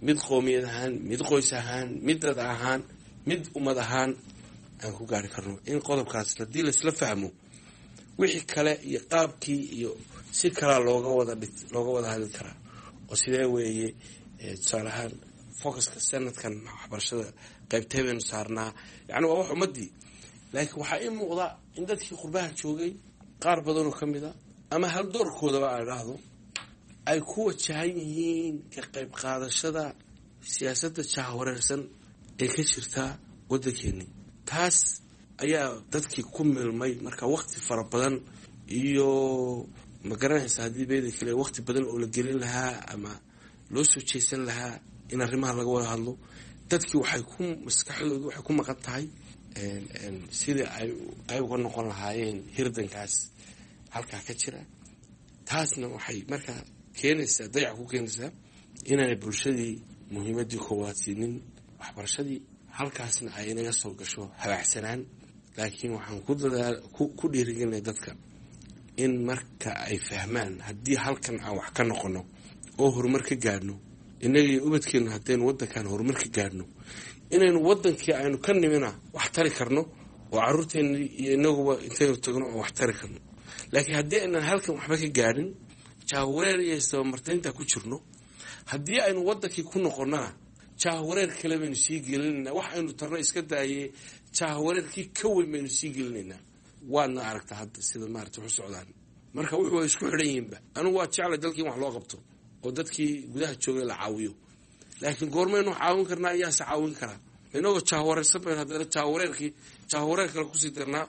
mid qoomiyad ahaan, mid qoys ahaan, mid dad ahaan, mid ummad ahaan aan ku gaari karno. In qodobkaas haddii laisla fahmo, wixii kale iyo qaabkii iyo si kalaa looga wada looga wada hadli karaa oo sidee weeye. Tusaale ahaan, focuska sanadkan waxbarashada qaybtee baynu saarnaa? Yani waa wax ummadii, laakiin waxaa ii muuqda in dadkii qurbaha joogay qaar badanoo ka mid a ama hal doorkoodaba aan idhaahdo ay ku wajahan yihiin ka qayb qaadashada siyaasadda jahwareersan ee ka jirta waddankeeni. Taas ayaa dadkii ku milmay. Marka waqti fara badan iyo ma garanaysa haddii beeda kale waqti badan oo la gelin lahaa ama loo soo jeesan lahaa in arrimaha laga wada hadlo, dadkii waxay ku maskaxdoodu waxay ku maqan tahay sidii ay qayb uga noqon lahaayeen hirdankaas halkaa ka jira. Taasna waxay markaa keenaysaa, dayac ku keenaysaa inaanay bulshadii muhiimaddii koowaad siinin waxbarashadii, halkaasna ay inaga soo gasho habaacsanaan. Laakiin waxaan ku dadaal ku dhiirigelinaya dadka in marka ay fahmaan haddii halkan aan wax ka noqono oo horumar ka gaadhno innagii ubadkeennu, haddaynu waddankan horumar ka gaadhno, inaynu waddankii aynu ka nimina wax tari karno oo carruurteenni iyo inaguba intaynu tagno oo wax tari karno. Laakiin haddii aynan halkan waxba ka gaadhin, jahwareer iyo istabamartaynta ku jirno, haddii aynu waddankii ku noqonnana jahwareer kale baynu sii gelinaynaa. Wax aynu tarno iska daayee, jahwareerkii ka weyn baynu sii gelinaynaa. Waadna aragtaa hadda sida maarata wax u socdaan. Marka wuxuu way isku xidhan yihiinba. Anigu waa jeclay dalkii in wax loo qabto oo dadkii gudaha joogay la caawiyo, laakiin goormaynu caawin karnaa? Iyaase caawin karaa? Inagoo jahwareersan baynu haddana jahwareerkii jahwareer kale kusii darnaa,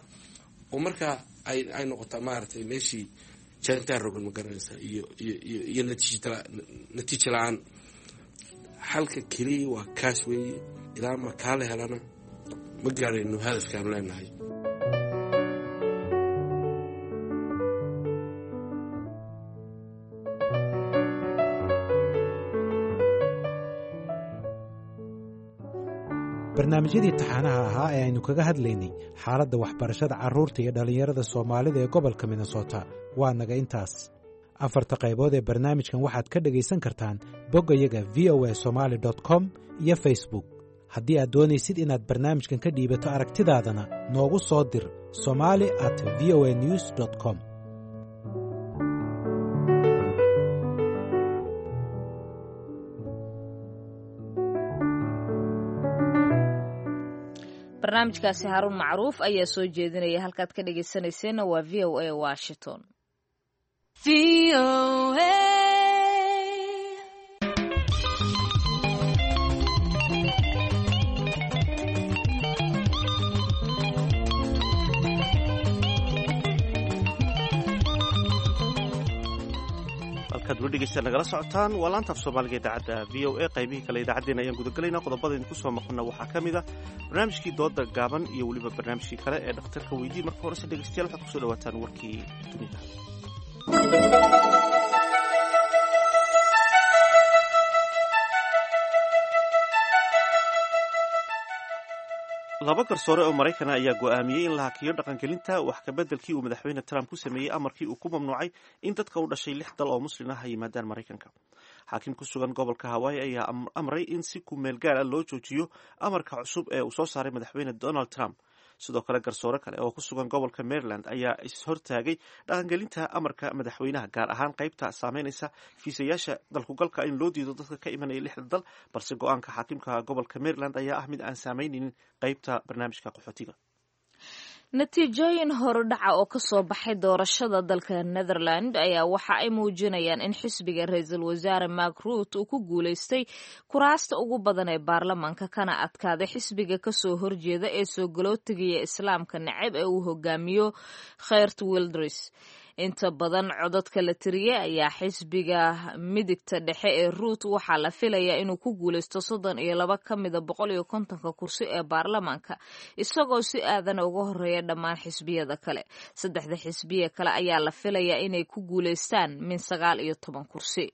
oo markaa ay ay noqotaa maaragtay meeshii jaantaa rogan, ma garanaysaa, iyo iyo iyo iyo natiija natiija la-aan. Xalka keliya waa kaas weeye. Ilaa ma kaa la helana ma gaarayno hadafkaanu leenahay. Barnaamijyadii taxanaha ahaa ee aynu kaga hadlaynay xaaladda waxbarashada carruurta iyo dhallinyarada Soomaalida ee gobolka Minnesota waa naga intaas. Afarta qaybood ee barnaamijkan waxaad ka dhegaysan kartaan boggayaga v o a somali com iyo Facebook. Haddii aad doonaysid inaad barnaamijkan ka dhiibato aragtidaadana, noogu soo dir somali at v o a news com. Barnaamijkaasi Haruun Macruuf ayaa soo jeedinaya. Halkaad ka dhegaysanayseena waa V O A Washington. Halkaad weli dhegeysta nagala socotaan waa laanta af Soomaaliga idaacadda V O A. Qaybihii kale idaacaddeenna ayaan gudagelaynaa. Qodobada idinku soo maqana waxaa ka mid a barnaamijkii dooda gaaban iyo weliba barnaamijkii kale ee dhakhtarka weydii. Marka horese dhegeystayaal, waxaad kusoo dhawaataan warkii dunida. Laba garsoore oo Maraykana ayaa go'aamiyey in la hakiyo dhaqangelinta wax kabeddelkii uu madaxweyne Trump ku sameeyey amarkii uu ku mamnuucay in dadka u dhashay lix dal oo muslim ah ay yimaadaan Maraykanka. Xaakim ku sugan gobolka Hawaii ayaa amray in si ku meel gaar ah loo joojiyo amarka cusub ee uu soo saaray madaxweyne Donald Trump. Sidoo kale garsoore kale oo ku sugan gobolka Maryland ayaa is-hortaagay dhaqangelinta amarka madaxweynaha, gaar ahaan qaybta saameynaysa fiisayaasha dalkugalka in loo diido dadka ka imanaya lixda dal. Balse go-aanka xaakimka gobolka Maryland ayaa ah mid aan saameyneynin qaybta barnaamijka qaxootiga. Natiijooyin horudhaca oo ka soo baxay doorashada dalka Netherland ayaa waxa ay muujinayaan in xisbiga ra-iisul wasaare Mark Rutte uu ku guulaystay kuraasta ugu badan ee baarlamaanka, kana adkaaday xisbiga kasoo horjeeda ee soo galootigaya islaamka neceb ee uu hogaamiyo Geert Wilders. Inta badan codadka la tiriyey ayaa xisbiga midigta dhexe ee Ruut waxaa la filayaa inuu ku guulaysto soddon iyo laba ka mida boqol iyo kontonka kursi ee baarlamaanka, isagoo si aadan uga horeeya dhammaan xisbiyada kale. Saddexda xisbiye kale ayaa la filayaa inay ku guulaystaan min sagaal iyo toban kursi.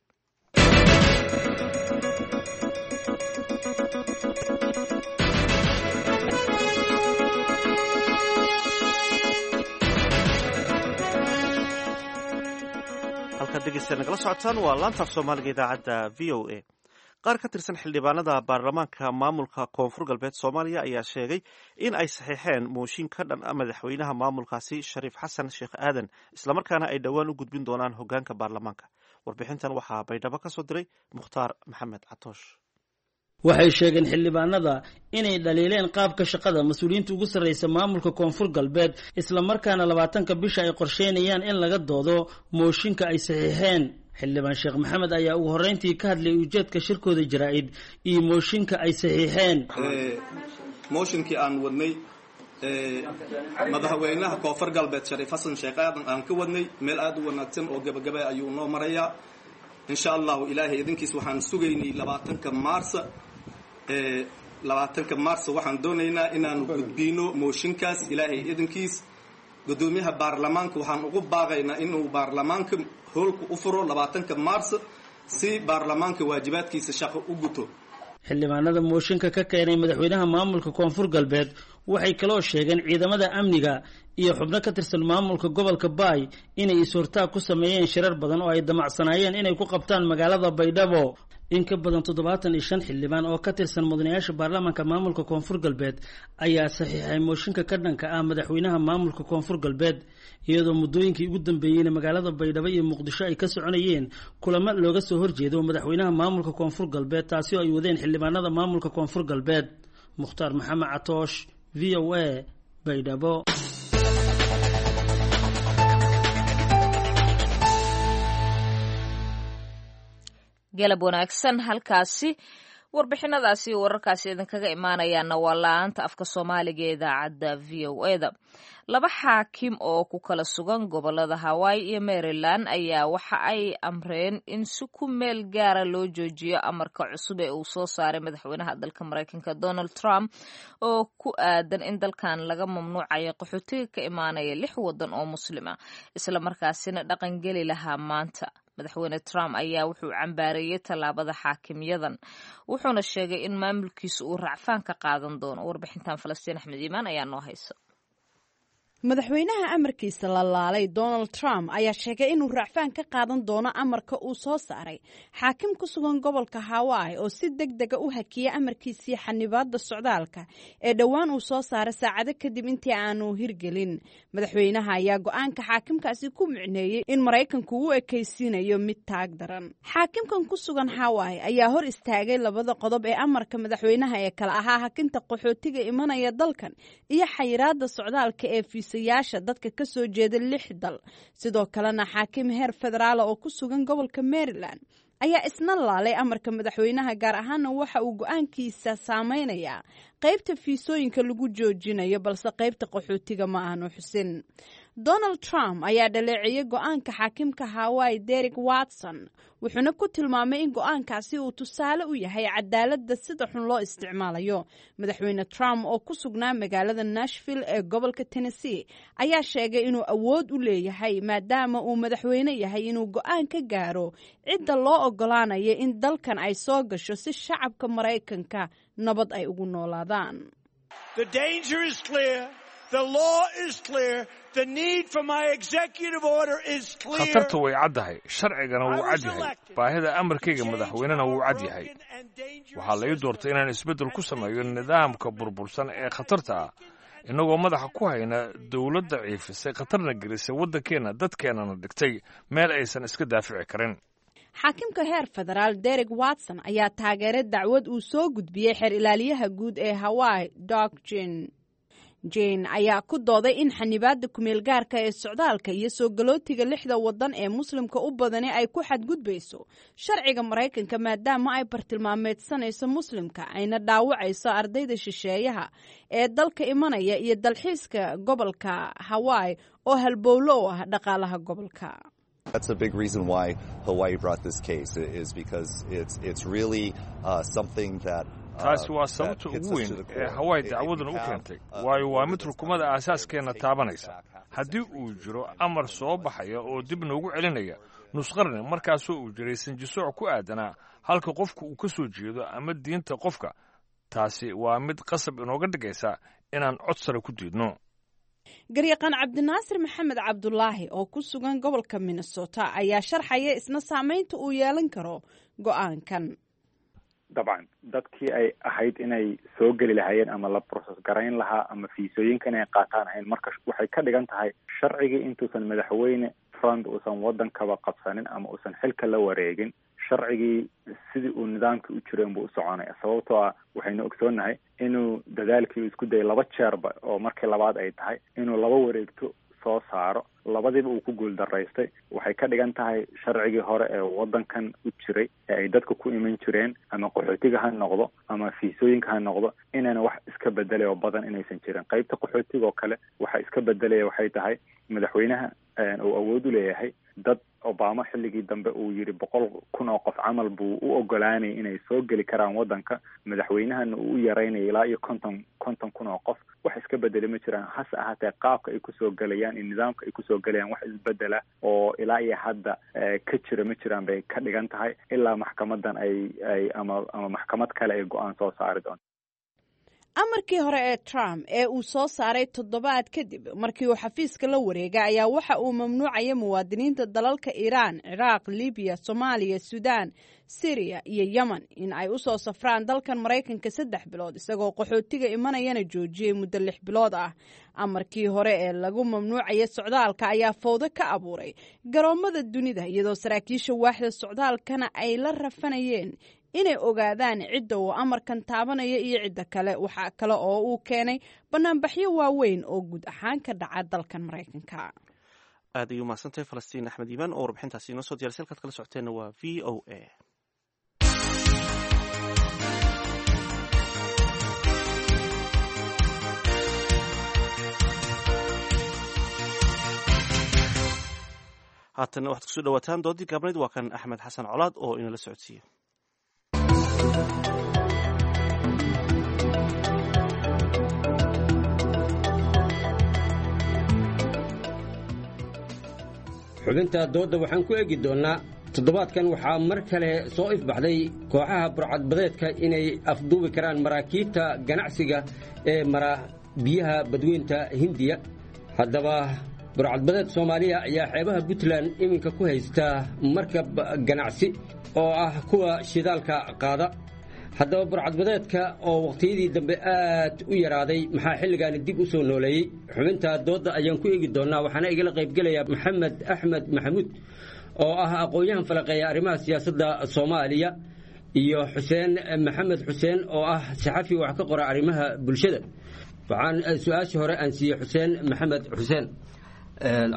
Halkaad dhegeysta nagala socotaan waa laanta af Soomaaliga idaacadda V O A. Qaar ka tirsan xildhibaanada baarlamaanka maamulka Koonfur Galbeed Soomaaliya ayaa sheegay in ay saxiixeen mooshin ka dhan ah madaxweynaha maamulkaasi Shariif Xasan Sheekh Aadan, islamarkaana ay dhowaan u gudbin doonaan hogaanka baarlamaanka. Warbixintan waxaa Baydhabo ka soo diray Mukhtaar Maxamed Catoosh. Waxay sheegeen xildhibaanada inay dhaliileen qaabka shaqada mas-uuliyiinta ugu sarreysa maamulka Koonfur Galbeed, islamarkaana labaatanka bisha ay qorsheynayaan in laga doodo mooshinka ay saxiixeen. Xildhibaan Sheekh Maxamed ayaa ugu horreyntii ka hadlay ujeedka shirkooda jaraa'id iyo mooshinka ay saxiixeen. Mooshinkii aan wadnay madaxweynaha Koonfur Galbeed Shariif Xasan Sheekh Aadan aan ka wadnay meel aada u wanaagsan oo gabagaba ayuu noo marayaa, insha Allahu. Ilaahay idinkiis waxaan sugaynay labaatanka maarsa. Labaatanka maarsa waxaan doonaynaa inaanu gudbino mooshinkaas, Ilaahay idinkiis. Guddoomiyaha baarlamaanka waxaan ugu baaqaynaa inuu baarlamaanka hoolka u furo labaatanka maarsa si baarlamaanka waajibaadkiisa shaqo u guto. Xildhibaanada mooshinka ka keenay madaxweynaha maamulka Koonfur Galbeed waxay kaloo sheegeen ciidamada amniga iyo xubno ka tirsan maamulka gobolka Baay inay is-hortaag ku sameeyeen shirar badan oo ay damacsanaayeen inay ku qabtaan magaalada Baydhabo. In ka badan toddobaatan iyo shan xildhibaan oo ka tirsan mudanayaasha baarlamaanka maamulka Koonfur Galbeed ayaa saxiixay mooshinka ka dhanka ah madaxweynaha maamulka Koonfur Galbeed, iyadoo muddooyinkii ugu dambeeyeyna magaalada Baydhabo iyo Muqdisho ay ka soconayeen kulamo looga soo horjeedo madaxweynaha maamulka Koonfur Galbeed, taasi oo ay wadeen xildhibaanada maamulka Koonfur Galbeed. Mukhtaar Maxamed Catoosh, V O A, Baydhabo. Galab wanaagsan. Halkaasi warbixinadaasi iyo wararkaasi idinkaga imaanayaana waa la-aanta afka Soomaaliga ee idaacadda V O E da. Laba xaakim oo ku kala sugan gobolada Hawaii iyo Maryland ayaa waxa ay amreen in si ku meel gaara loo joojiyo amarka cusub ee uu soo saaray madaxweynaha dalka Maraykanka Donald Trump oo ku aadan in dalkan laga mamnuucayo qaxootiga ka imaanaya lix wadan oo muslima, isla markaasina dhaqangeli lahaa maanta. Madaxweyne Trump ayaa wuxuu cambaareeyey tallaabada xaakimyadan, wuxuuna sheegay in maamulkiisa uu racfaan ka qaadan doono. Warbixintan Falastiin Axmed Iimaan ayaa noo haysa. Madaxweynaha amarkiisa la laalay Donald Trump ayaa sheegay inuu racfaan ka qaadan doono amarka uu soo saaray xaakim ku sugan gobolka Hawaii oo si deg dega u hakiyay amarkiisii xanibaadda socdaalka ee dhowaan uu soo saaray saacado kadib intii aanu hirgelin. Madaxweynaha ayaa go-aanka xaakimkaasi ku micneeyey in Maraykanku u ekaysiinayo mid taag daran. Xaakimkan ku sugan Hawaii ayaa hor istaagay labada qodob ee amarka madaxweynaha ee kala ahaa hakinta qaxootiga imanaya dalkan iyo xayiraadda socdaalka ee fiisayaasha dadka ka soo jeeda lix dal. Sidoo kalena xaakim heer federaala oo ku sugan gobolka Maryland ayaa isna laalay amarka madaxweynaha, gaar ahaana waxa uu go-aankiisa saameynayaa qaybta fiisooyinka lagu joojinayo, balse qaybta qaxootiga ma aanu xusin. Donald Trump ayaa dhaleeceeyey go-aanka xaakimka Hawaii Derek Watson, wuxuuna ku tilmaamay in go-aankaasi uu tusaale u yahay cadaaladda sida xun loo isticmaalayo. Madaxweyne Trump oo ku sugnaa magaalada Nashville ee gobolka Tennessee ayaa sheegay inuu awood u leeyahay, maadaama uu madaxweyne yahay, inuu go-aan ka gaaro cidda loo ogolaanayo in dalkan ay soo gasho si shacabka Maraykanka nabad ay ugu noolaadaan. Khatarta way caddahay, sharcigana wuu cad yahay, baahida amarkayga madaxweynena wuu cad yahay. Waxaa la ii doortay inaan isbeddel ku sameeyo nidaamka burbursan ee khatarta ah, innagoo madaxa ku hayna dowladda daciifisay, khatarna gelisay waddankeenna, dadkeennana dhigtay meel aysan iska daafici karin. Xaakimka heer federaal Derek Watson ayaa taageeray dacwad uu soo gudbiyey xeer ilaaliyaha guud ee Hawaii Doug Jane. Jane ayaa ku dooday in xanibaadda kumeelgaarka ee socdaalka iyo soo galootiga lixda wadan ee muslimka u badani ay ku xadgudbayso sharciga Maraykanka, maadaama ay bartilmaameedsanayso muslimka, ayna dhaawacayso ardayda shisheeyaha ee dalka imanaya iyo dalxiiska gobolka Hawaii oo halbowlo u ah dhaqaalaha gobolka. That's a big reason why Hawaii brought this case, is because it's it's really uh, something that Taasi waa sababta ugu weyn ee Hawaii dacwadan u keentay, waayo waa mid rukumada aasaaskeenna taabanaysa. Haddii uu jiro amar soo baxaya oo dib noogu celinaya nusqarni, markaasoo uu jiray sinjisooc ku aadanaa halka qofku uu ka soo jeedo ama diinta qofka, taasi waa mid qasab inooga dhigaysa inaan cod sare ku diidno. Garyaqaan Cabdinaasir Maxamed Cabdulaahi oo ku sugan gobolka Minnesota ayaa sharxaya isna saameynta uu yeelan karo go-aankan. Dabcan, dadkii ay ahayd inay soo geli lahaayeen ama la process garayn lahaa ama fiisooyinka inay qaataan ahayn, marka waxay ka dhigan tahay sharcigii intuusan madaxweyne Trump uusan waddankaba qabsanin ama uusan xilka la wareegin, sharcigii sidii uu nidaamkii u jireen buu u soconaya, sababtoo ah waxaynu ogsoonnahay inuu dadaalkii uu isku dayay laba jeerba, oo markii labaad ay tahay inuu laba wareegto soo saaro, labadiiba uu ku guuldaraystay. Waxay ka dhigan tahay sharcigii hore ee waddankan u jiray ee ay dadka ku iman jireen, ama qaxootiga ha noqdo ama fiisooyinka ha noqdo, inayna wax iska bedelay oo badan inaysan jirin. Qaybta qaxootiga oo kale waxa iska bedelaya waxay tahay madaxweynaha uu awood u leeyahay dad Obama xilligii dambe uu yidhi boqol kun oo qof camal buu u ogolaanayay inay soo geli karaan waddanka, madaxweynahana uu u yaraynaya ilaa iyo konton konton kun oo qof. Wax iska bedeli ma jiraan, hase ahaatee qaabka ay kusoo gelayaan iyo nidaamka ay kusoo gelayaan wax isbedela oo ilaa iyo hadda ka jira ma jiraan bay ka dhigan tahay, ilaa maxkamadan ay ay ama ama maxkamad kale ay go-aan soo saari doonto. Amarkii hore ee Trump ee uu soo saaray toddobaad kadib markii uu xafiiska la wareegay ayaa waxa uu mamnuucaya muwaadiniinta dalalka Iiraan, Ciraaq, Libiya, Soomaaliya, Suudaan, Siriya iyo Yemen in ay u soo safraan dalkan Maraykanka saddex bilood, isagoo qaxootiga imanayana joojiyey muddo lix bilood ah. Amarkii hore ee lagu mamnuucaya socdaalka ayaa fowdo ka abuuray garoomada dunida, iyadoo saraakiisha waaxda socdaalkana ay la rafanayeen inay ogaadaan cidda uu amarkan taabanaya iyo cidda kale. Waxaa kale oo uu keenay banaanbaxyo waaweyn oo guud ahaan ka dhaca dalkan Maraykanka. Aad ayuu mahadsantahay Falastiin Axmed Iimaan oo warbixintaasi inoo soo diyarisay. Halkaad kala socoteenna waa V O A. Haatanna waxaad kusoo dhawaataan doodii gaabnayd. Waa kan Axmed Xasan Colaad oo inala socodsiiya. Xubinta doodda waxaan ku eegi doonnaa toddobaadkan waxaa mar kale soo ifbaxday kooxaha burcadbadeedka inay afduubi karaan maraakiibta ganacsiga ee mara biyaha badweynta Hindiya. Haddaba burcadbadeed Soomaaliya ayaa xeebaha Puntland iminka ku haysta markab ganacsi oo ah kuwa shidaalka qaada. Haddaba burcadbadeedka oo wakhtiyadii dambe aad u yaraaday maxaa xilligaani dib u soo nooleeyey? Xubinta doodda ayaan ku eegi doonnaa, waxaana igala qaybgelaya Maxamed Axmed Maxamuud oo ah aqoon-yahan falaqeeya arrimaha siyaasadda Soomaaliya iyo Xuseen Maxamed Xuseen oo ah saxafi wax ka qora arrimaha bulshada. Waxaan su-aashii hore aan siiyey Xuseen Maxamed Xuseen.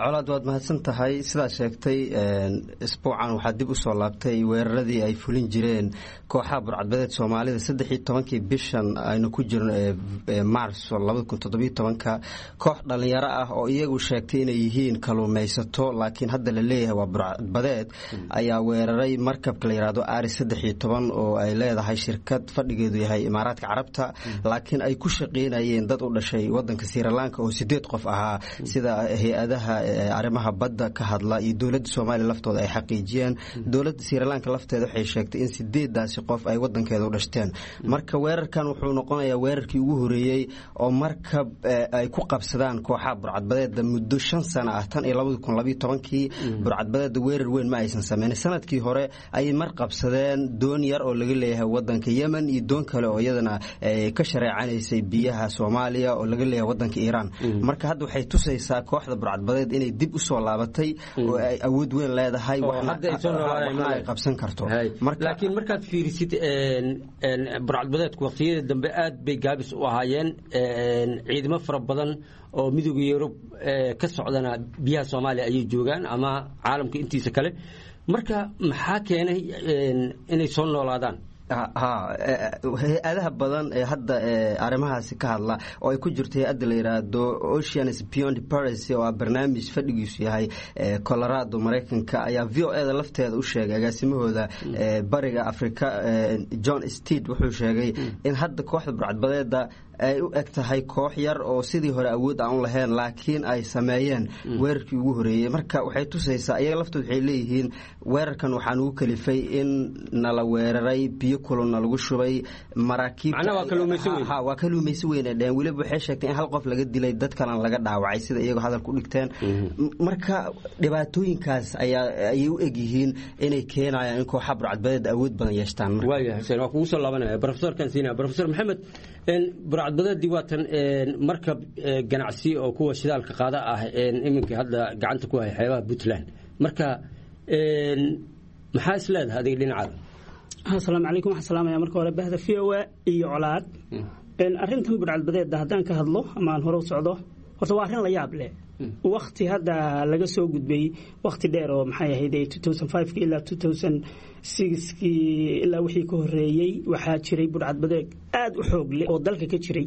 Colaad, waad mahadsan tahay. Sidaa sheegtay, isbuucan waxaa dib u soo laabtay weeraradii ay fulin jireen kooxaha burcadbadeed Soomaalida. Saddex iyo tobankii bishan aynu ku jirno ee Maarso labada kun toddobiyo tobanka, koox dhalinyaro ah oo iyagu sheegtay inay yihiin kaluumaysato laakiin hadda la leeyahay waa burcadbadeed ayaa weeraray markabka la yidhaahdo Ari saddex iyo toban oo ay leedahay shirkad fadhigeedu yahay Imaaraadka Carabta, laakiin ay ku shaqeynayeen dad u dhashay wadanka Sirilanka oo sideed qof ahaa, sida hay-ada arrimaha badda ka hadla iyo dowladda Soomaaliya laftooda ay xaqiijiyeen. Dowladda Sirilanka lafteeda waxay sheegtay in sideedaasi qof ay wadankeeda u dhashteen. Marka weerarkan wuxuu noqonayaa weerarkii ugu horeeyey oo markab ay ku qabsadaan kooxaha burcadbadeeda muddo shan sano ah. Tan iyo labadi kun labiyo tobankii burcadbadeeda weerar weyn ma aysan sameynin. Sanadkii hore ayay mar qabsadeen doon yar oo laga leeyahay wadanka Yemen iyo doon kale oo iyadana ka shareecanaysay biyaha Soomaaliya oo laga leeyahay wadanka Iiraan. Marka hadda waxay tusaysaa kooxda burcad inay dib u soo laabatay oo ay awood weyn leedahay, waxna ay qabsan karto. Laakiin markaad fiirisid burcadbadeedku waqtiyada dambe aad bay gaabis u ahaayeen, ciidamo fara badan oo midooda Yurub ka socdana biyaha Soomaaliya ayay joogaan ama caalamka intiisa kale. Marka maxaa keenay inay soo noolaadaan? Ha, hay-adaha badan ee hadda arrimahaasi ka hadla oo ay ku jirto hay-adda la yidhaahdo Oceans Beyond Piracy oo ah barnaamij fadhigiisu yahay Colorado, Maraykanka, ayaa V O E da lafteeda u sheegay. Agaasimahooda bariga Africa John Steed wuxuu sheegay in hadda kooxda burcadbadeeda ay u eg tahay koox yar oo sidii hore awood aan u lahayn, laakiin ay sameeyeen weerarkii ugu horeeyey. Marka waxay tusaysaa iyaga laftood waxay leeyihiin weerarkan waxaa nugu kalifay in nala weeraray, biyo kulunna lagu shubay maraakiibta. Waa kaluumayso weyn ay dheheen. Weliba waxay sheegtay in hal qof laga dilay, dad kalena laga dhaawacay, sida iyagoo hadalku dhigteen. Marka dhibaatooyinkaas ayaa ayay u eg yihiin inay keenayaan in kooxa burcadbadeed awood badan yeeshtaan. Waaya Xuseen, waa kugu soo laabanaya profesorkan siinaya. Profesor Maxamed, burcadbadeedii waatan markab ganacsi oo kuwa shidaalka qaada ah iminka hadda gacanta ku haya xeebaha Puntland, marka maxaa is leedahay adiga dhinacaada? Asalaamu calaykum. Waxaan salaamaya marka hore bahda V O A iyo Colaad. Arrintan burcadbadeedda haddaan ka hadlo ama aan hore u socdo, horta waa arrin la yaab leh. Wakti hadda laga soo gudbay wakti dheer oo maxay ahayd ilaa kii ilaa wixii ka horeeyey, waxaa jiray burcadbadeed aad u xoog leh oo dalka ka jiray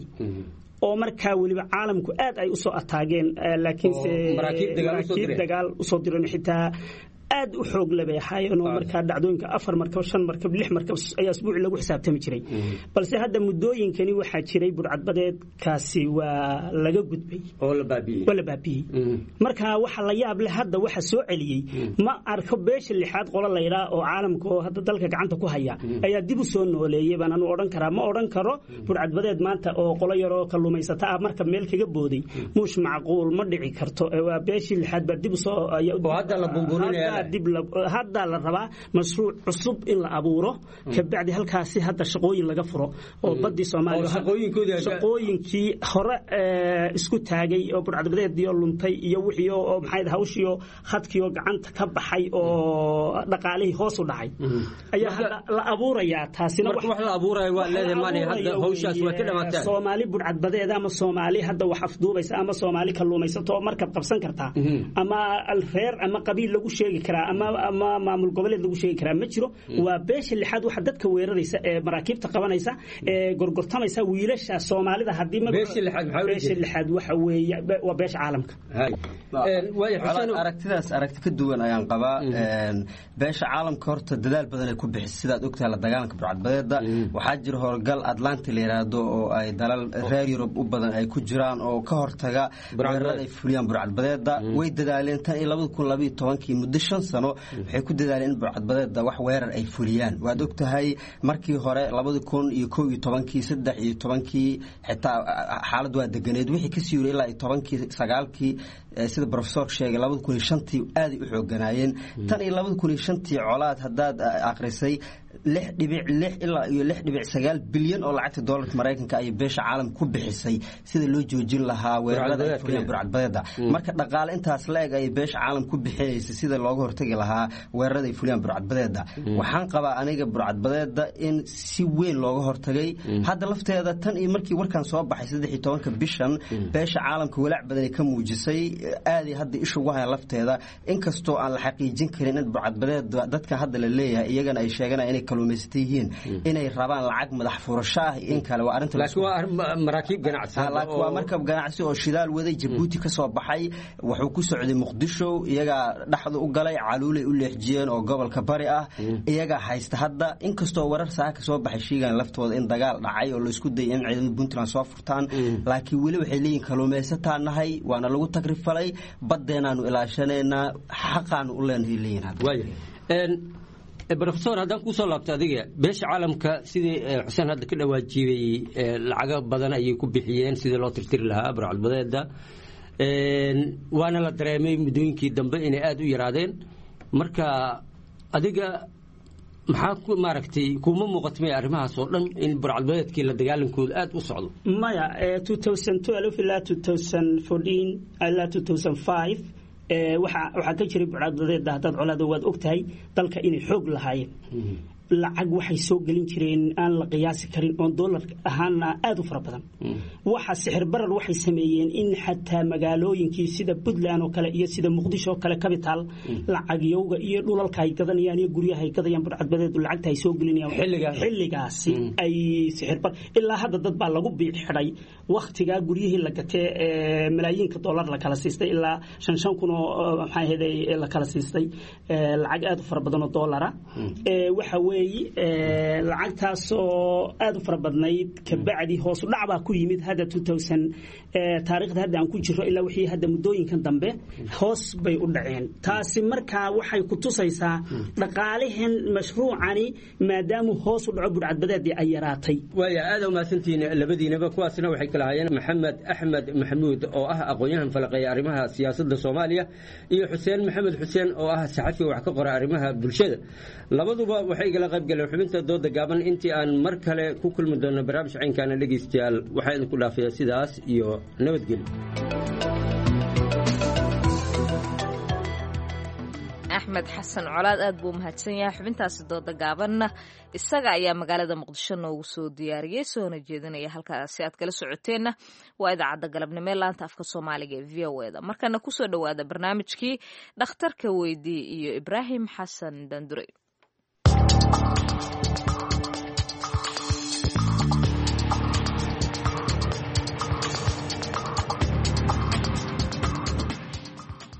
oo markaa weliba caalamku aad ay usoo ataageen, laakiinse maraakiib dagaal usoo direen xitaa aad u xoog leh bay ahaayeen oo markaa dhacdooyinka afar markab, shan markab, lix markab ayaa asbuuci lagu xisaabtami jiray. Balse hadda muddooyinkani waxaa jiray burcadbadeedkaasi waa laga gudbay oo la baabiyey, waa la baabiyey. Marka waxa la yaab leh hadda waxa soo celiyey ma arko. Beesha lixaad qolo laydhaa oo caalamka oo hadda dalka gacanta ku haya ayaa dib u soo nooleeyey baan anu odhan karaa. Ma odhan karo burcadbadeed maanta oo qolo yaroo kalluumaysata ah marka meel kaga booday muush macquul ma dhici karto. Waa beeshii lixaad baa dib usoo oo hadda la bunburinaya. Hadda la rabaa mashruuc cusub in la abuuro, kabacdi halkaasi hadda shaqooyin laga furo oo badii Soomaaliya shaqooyinkii hore isku taagay oo burcadbadeediyo luntay iyo wixii oo maxay hawshiyo khadkiyo gacanta ka baxay oo dhaqaalihii hoos u dhacay ayaa hadda la abuurayaa. Taasina wax la abuurayo waa leedahay maali hadda hawshaas waa ka dhamaataa. Soomaali burcadbadeed ama Soomaali hadda wax afduubaysa ama Soomaali kalluumaysato oo markab qabsan kartaa ama reer ama qabiil lagu sheegi karaa ama ama maamul goboleed lagu sheegi karaa ma jiro. Waa beesha lixaad waxa dadka weeraraysa ee maraakiibta qabanaysa ee gorgortamaysa wiilasha Soomaalida. Haddii beesha lixaad maxaa beesha lixaad waxa weeye waa beesha caalamka. Aragtidaas aragti ka duwan ayaan qabaa. Beesha caalamka horta dadaal badan ay ku bixisay, sidaad ogtahay, la dagaalanka burcadbadeeda. Waxaa jira howlgal Atlantic la yiraahdo oo ay dalal reer Yurub u badan ay ku jiraan oo ka hortaga weerarada ay fuliyaan burcadbadeeda. Way dadaaleen tan iyo labada kun labayo tobankii, muddo shan sano waxay ku dadaaleen in burcadbadeeda wax weerar ay fuliyaan. Waad ogtahay markii hore labada kun iyo kow iyo tobankii, saddex iyo tobankii xitaa xaalad waa deganeed. Wixii kasii yuri ilaa iyo tobankii, sagaalkii, sida professorka sheegay, labada kun iyo shantii aaday u xooganaayeen. Tan iyo labada kun iyo shantii, Colaad, haddaad akhrisay, lix dhibic lix ilaa iyo lix dhibic sagaal bilyan oo lacagta doolarka Maraykanka ayay beesha caalamka ku bixisay sida loo joojin lahaa weerarada ay fuliyaan burcadbadeeda. Marka dhaqaale intaas la eg ayay beesha caalamka ku bixinaysay sida looga hortagi lahaa weerarada ay fuliyaan burcadbadeeda. Waxaan qabaa aniga burcadbadeeda in si weyn looga hortagay. Hadda lafteeda, tan iyo markii warkan soo baxay saddex iyo tobanka bishan, beesha caalamka walaac badan ay ka muujisay, aaday hadda isha ugu hayaan lafteeda, inkastoo aan la xaqiijin karin in burcadbadeeda dadka hadda la leeyahay iyagana ay sheeganayaan inay kalluumaysata yihiin inay rabaan lacag madax furasho ah in kale. Waa arrinta laakiin waa maraakiib ganacsi. Laakiin waa markab ganacsi oo shidaal waday, Jabuuti ka soo baxay, wuxuu ku socday Muqdisho. Iyagaa dhexda u galay, Caluulay u leexjiyeen oo gobolka bari ah, iyagaa haysta hadda, inkastoo warar saaka ka soo baxay sheegaan laftooda in dagaal dhacay oo laisku dayay in ciidamada Puntland soo furtaan. Laakiin weli waxay leeyihin kalluumaysataa nahay, waana lagu tagrifalay, baddeenaanu ilaashanaynaa, xaqaanu u leenahay leeyihin hadda. Brofesor, haddaan kuu soo laabto adiga, beesha caalamka sidii Xuseen hadda ka dhawaajibay, lacago badan ayay ku bixiyeen sidii loo tirtiri lahaa burcadbadeeda, waana la dareemay muddooyinkii dambe inay aada u yaraadeen. Marka adiga maxaa ku maaragtay, kuma muuqato maya arrimahaas oo dhan in burcadbadeedkii la dagaalankooda aada u socdo? Maya, ilaa ilaa waxaa ka jiray burcadbadeeda. Haddaad colaada waad og tahay dalka inay xoog lahaayeen, lacag waxay soo gelin jireen aan la qiyaasi karin oon doolar ahaana aada u fara badan. Waxa sixir barar waxay sameeyeen in xataa magaalooyinkii sida Puntland oo kale iyo sida Muqdisho oo kale capital lacagyowga iyo dhulalka ay gadanayaan iyo guryaha ay gadayaan burcadbadeedu lacagta ay soo gelinayaan xilligaasi ay sixir bar ilaa hadda dad baa lagu biic xidhay wakhtigaa guryihii la gatee ee malaayiinka doolar la kala siistay, ilaa shan shan kun oo maxaa ahayd la kala siistay, lacag aada u fara badan oo doolara. Waxa weeye lacagtaasoo aada u fara badnayd kabacdi hoos u dhac baa ku yimid hadda taariikhda hadda aan ku jiro ilaa wixii hadda muddooyinkan dambe hoos bay u dhaceen. Taasi markaa waxay ku tusaysaa dhaqaalihan mashruucani maadaamuu hoos u dhaco burcadbadeedii ay yaraatay. Waaya, aada umahadsantihiin labadiinaba. Kuwaasna waxay kala hayeen Maxamed Axmed Maxamuud oo ah aqoon-yahan falaqeeya arrimaha siyaasadda Soomaaliya iyo Xuseen Maxamed Xuseen oo ah saxafi wax ka qora arrimaha bulshada. Labaduba waxay igala qayb galeen xubinta dooda gaaban. Intii aan mar kale ku kulmi doonno barnaamij caynkaana, dhegaystayaal, waxaa idinku dhaafayaa sidaas iyo nabadgelyo. Axmed Xasan Colaad aad buu umahadsan yahay. Xubintaasi dooda gaabanna isaga ayaa magaalada Muqdisho noogu soo diyaariyey soona jeedinaya. Halkaasi aad kala socoteenna waa idaacadda galabnimo ee laanta afka Soomaaliga ee V O eda. Markana kusoo dhowaada barnaamijkii Dhakhtarka Weydii iyo Ibraahim Xasan Dandure.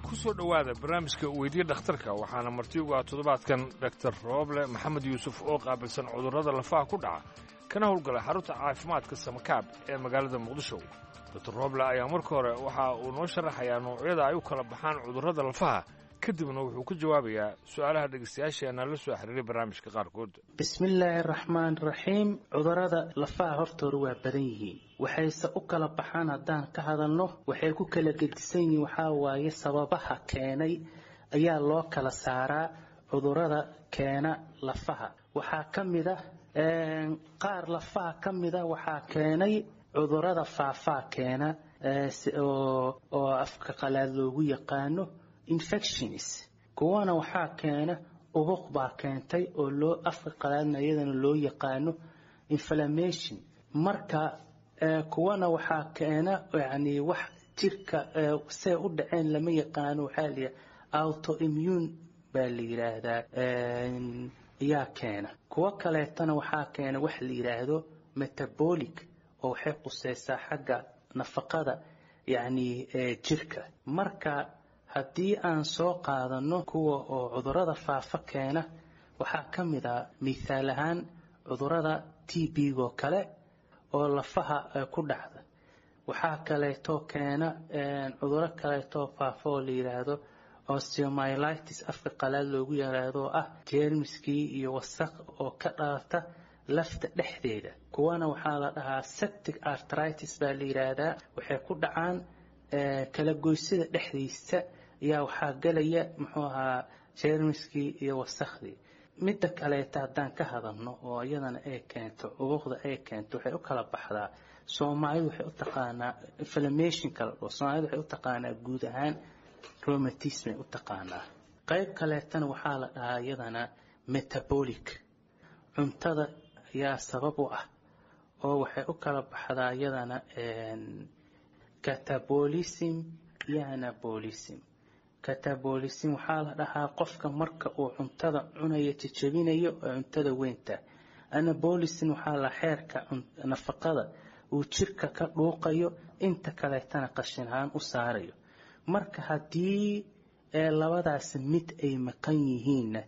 Kusoo dhowaada barnaamijka Weydiye Dhakhtarka. Waxaana marti ugu ah toddobaadkan Dhaktar Rooble Maxamed Yuusuf oo qaabilsan cudurrada lafaha ku dhaca kana howlgala xarunta caafimaadka Samakaab ee magaalada Muqdisho. Doktor Rooble ayaa marka hore waxa uu noo sharaxayaa noocyada ay u kala baxaan cudurrada lafaha, kadibna wuxuu ku jawaabayaa su-aalaha dhegeystayaasheena la soo xiriiray barnaamijka qaarkood. Bismillaahi raxmaan raxiim. Cudurrada lafaha hortooda waa badan yihiin, waxayse u kala baxaan haddaan ka hadalno waxay ku kala gedisan yihiin waxaa waaye sababaha keenay ayaa loo kala saaraa. Cudurrada keena lafaha waxaa ka mid ah qaar lafaha ka mid a waxaa keenay cudurrada faafaa keena oo oo afka qalaad loogu yaqaano infections. Kuwana waxaa keena ubuq baa keentay oo loo afka qalaadna iyadana loo yaqaano inflammation. Marka kuwana waxaa keena yani wax jirka see u dhaceen lama yaqaano, waxaa la yidhaha autoimmune baa la yidhaahdaa ayaa keena. Kuwo kaleetana waxaa keena wax la yidhaahdo metabolic, oo waxay quseysaa xagga nafaqada yacni jirka. Marka haddii aan soo qaadano kuwa oo cudurada faafa keena, waxaa ka mid a mithaal ahaan cudurada T B-go kale oo lafaha ku dhacda. Waxaa kaleetoo keena cuduro kaleetoo faafa oo la yidhaahdo osteomyelitis, afka qalaad loogu yaraado, oo ah jeermiskii iyo wasaq oo ka dhalata lafta dhexdeeda. Kuwana waxaa la dhahaa septic arthritis baa la yidhaahdaa, waxay ku dhacaan kala goysida dhexdiisa ayaa waxaa galaya muxuu ahaa jeermiskii iyo wasakhdii. Midda kaleeta haddaan ka hadalno oo iyadana ay keento cubuqda ay keento, waxay u kala baxdaa, Soomaalidu waxay u taqaanaa inflammationka la dhaho, Soomaalidu waxay u taqaanaa guud ahaan rheumatism ay u taqaanaa. Qayb kaleetana waxaa la dhahaa iyadana metabolic, cuntada ayaa sabab u ah, oo waxay u kala baxdaa iyadana catabolism iyo anabolism. Catabolism waxaa la dhahaa qofka marka uu cuntada cunayo jejebinayo oo cuntada weynta. Anabolism waxaa la xeerka nafaqada uu jirka ka dhuuqayo, inta kaleetana qashin ahaan u saarayo. Marka haddii labadaas mid ay maqan yihiinna,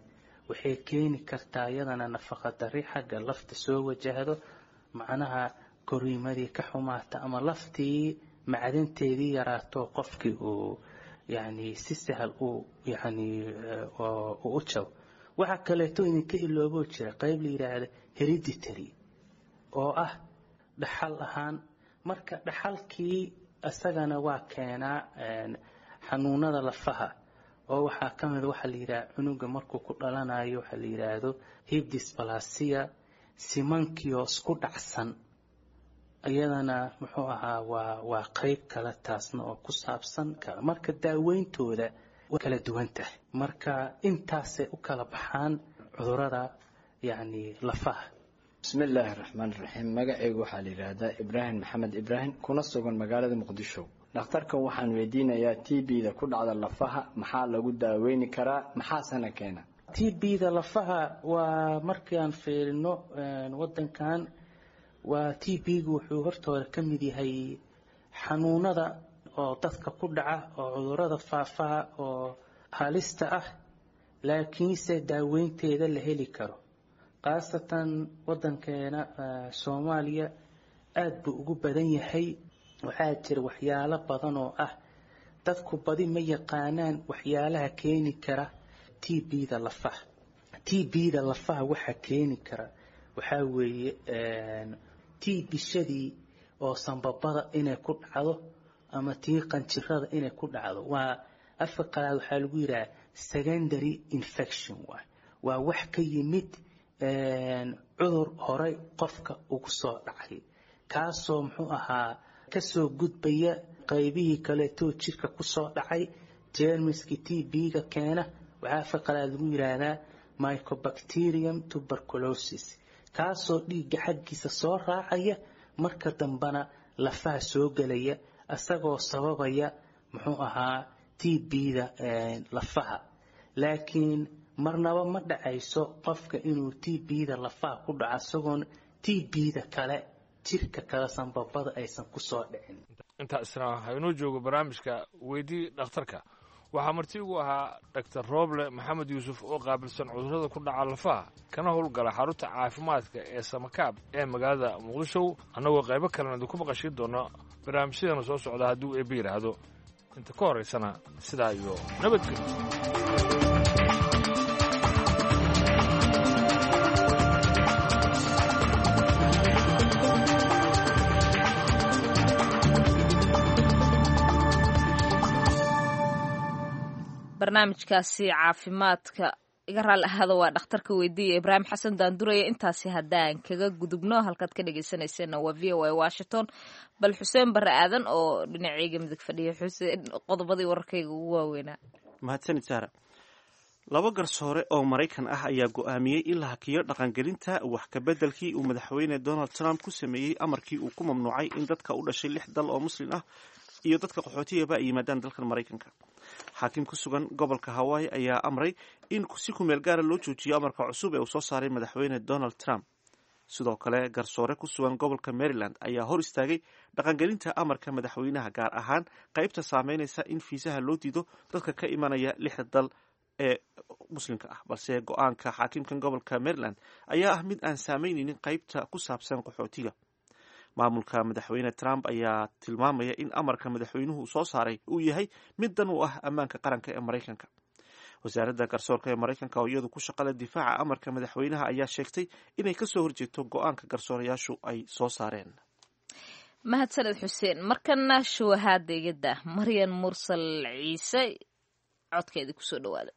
waxay keeni kartaa iyadana nafaqa dari xagga lafta soo wajahdo, macnaha koriimadii ka xumaata ama laftii macdanteedii yaraato, qofkii uu yacni si sahal uu yacni uu u jabo. Waxaa kaleeto idinka ilooboo jira qayb la yidhaahda hereditary oo ah dhaxal ahaan. Marka dhaxalkii isagana waa keenaa xanuunada lafaha, oo waxaa ka mid waxaa la yidhaha cunuga markuu ku dhalanayo waxaa la yidhaahdo hip dysplasia, simankioo isku dhacsan, iyadana muxuu ahaa waa waa qayb kale taasna oo ku saabsan kale. Marka daaweyntooda way kala duwan tahay. Marka intaasay u kala baxaan cudurada yacni lafaha. Bismillaahi raxmaan raxiim. Magacaygu waxaa la yidhaahdaa Ibraahim Maxamed Ibraahim, kuna sugan magaalada Muqdisho. Dhakhtarkan waxaan weydiinayaa T B-da ku dhacda lafaha maxaa lagu daaweyni karaa, maxaasena keena? T B-da lafaha waa markaan fiirino wadankan, waa T B-gu wuxuu hortooda ka mid yahay xanuunada oo dadka ku dhaca oo cudurada faafaha oo halista ah, laakiinse daaweynteeda la heli karo. Khaasatan wadankeena Soomaaliya aada buu ugu badan yahay. Waxaa jira waxyaalo badan oo ah dadku badi ma yaqaanaan waxyaalaha keeni kara T B-da lafaha. T B-da lafaha waxaa keeni kara waxaa weeye T bishadii oo sanbabada inay ku dhacdo ama tii qanjirada inay ku dhacdo. Waa afka qalaad waxaa lagu yidhaha secondary infection, waay waa wax ka yimid cudur horey qofka ugu soo dhacay, kaasoo muxuu ahaa kasoo gudbaya qaybihii kaleetoo jirka kusoo dhacay, jeermiskii T B-ga keena. Waxaa afka qalaad lagu yidhaahdaa mycobacterium tuberculosis, kaasoo dhiigga xaggiisa soo raacaya, marka dambena lafaha soo gelaya, isagoo sababaya muxuu ahaa T B-da lafaha. Laakiin marnaba ma dhacayso qofka inuu T B-da lafaha ku dhaco isagoon T B-da kale jirka kale sanbabada aysan kusoo dhicin. Intaasna haynoo joogo barnaamijka weydii dhakhtarka. Waxaa marti ugu ahaa Dhaktar Rooble Maxamed Yuusuf oo qaabilsan cudurrada ku dhaca lafaha, kana howlgala xarunta caafimaadka ee Samakaab ee magaalada Muqdisho. Annagoo qaybo kalena idinku maqashiin doono barnaamijyadeena soo socda hadduu eebbe yidhaahdo. Inta ka horaysana sidaa iyo nabadgelyo. Barnaamijkaasi caafimaadka iga raali ahaada waa dhakhtarka weydiiya Ibraahim Xasan Daanduraya. Intaasi haddaan kaga gudubno, halkaad ka dhegeysanayseena waa V O A Washington. Bal Xuseen Barre Aadan oo dhinacayga midig fadhiya, Xuseen, qodobadii wararkayga ugu waaweynaa. Mahadsanid Saara. Laba garsoore oo Maraykan ah ayaa go'aamiyey in la hakiyo dhaqangelinta wax kabeddelkii uu madaxweyne Donald Trump ku sameeyey amarkii uu ku mamnuucay in dadka u dhashay lix dal oo muslim ah iyo dadka qaxootiyaba ay yimaadaan dalkan Maraykanka. Xaakim ku sugan gobolka Hawaii ayaa amray in si kumeel gaara loo joojiyo amarka cusub ee uu soo saaray madaxweyne Donald Trump. Sidoo kale garsoore ku sugan gobolka Maryland ayaa hor istaagay dhaqangelinta amarka madaxweynaha, gaar ahaan qaybta saameynaysa in fiisaha loo diido dadka ka imanaya lixda dal ee muslimka ah. Balse go-aanka xaakimkan gobolka Maryland ayaa ah mid aan saameyneynin qaybta ku saabsan qaxootiga. Maamulka madaxweyne Trump ayaa tilmaamaya in amarka madaxweynuhu soo saaray uu yahay mid dan u ah ammaanka qaranka ee Maraykanka. Wasaaradda garsoorka ee Maraykanka oo iyadu ku shaqale difaaca amarka madaxweynaha ayaa sheegtay inay kasoo horjeeto go-aanka garsoorayaashu ay soo saareen. Mahadsaned Xuseen. Markana shuwahaadegada Maryan Mursal Ciise codkeeda kusoo dhawaada.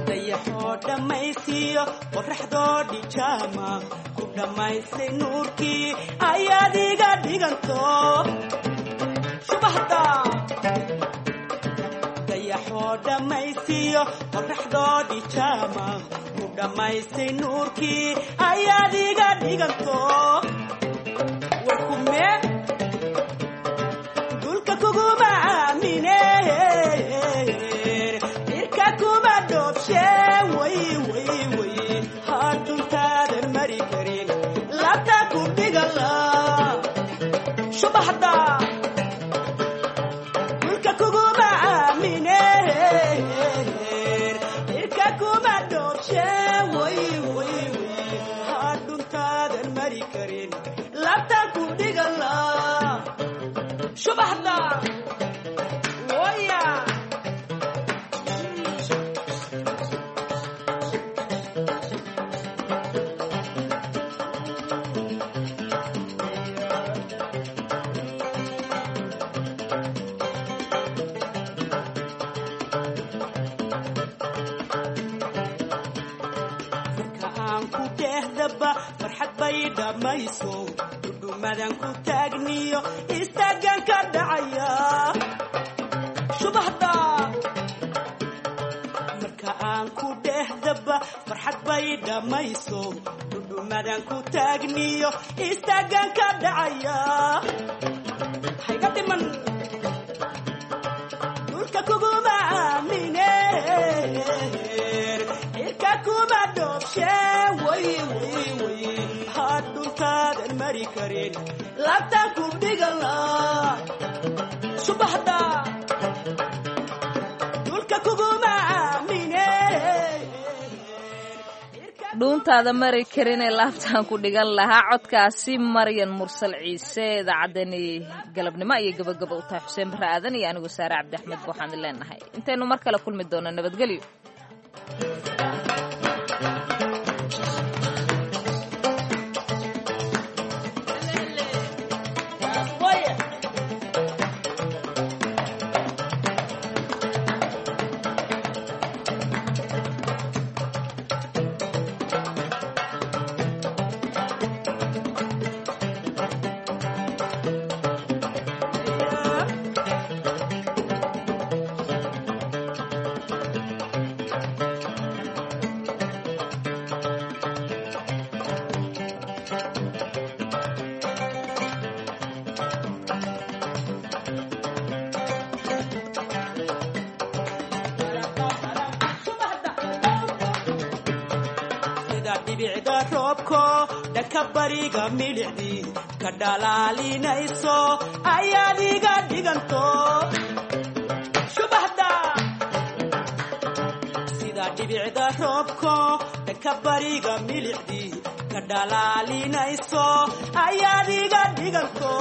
Dayaxoo dhammaysiiyo qoraxdoo dhijaama ku dhammaystay nuurkii ayaad iga dhiganto subaxda. Dayaxoo dhammaysiiyo qoraxdoo dhijaama ku dhammaystay nuurkii ayaad iga dhiganto warkume dulka kuguma aamine cirka kuma dhoobshe way way way hadhuntaadan mari karin labta ku dhigala subaxda dulka kuguma aamine cirka kuma dhoobshe way way way hadhuntaadan mari karin labta ku dhigala subaxda waya. Marka aan ku dhehdaba farxad bay dhammayso dhudhumadan ku taagniyo istaagan ka dhacaya subaxda. Marka aan ku dhehdaba farxad bay dhammayso dhudhumadan ku taagniyo istaagan ka dhacaya hayga dhiman dhulka kuguma aamine cirka kuma dhoobshe way way way hadhuntaadan mari karin labta ku dhigala subaxda dhulka kuguma aamine. Dhuuntaada mari karinee laabtaan ku dhigan lahaa codkaasi Maryan Mursal Ciise. Idaacadani galabnimo ayay gabagaba u tahay. Xuseen Barre Aadan iyo anigu Saare Cabdi Axmed ba waxaan leenahay intaynu mar kale kulmi doono nabadgelyo. Sida dhibicda roobko dhanka bariga milicdii ka dhalaalinayso ayaad iga dhiganto subaxda. Sida dhibicda roobko dhanka bariga milicdii ka dhalaalinayso ayaad iga dhiganto.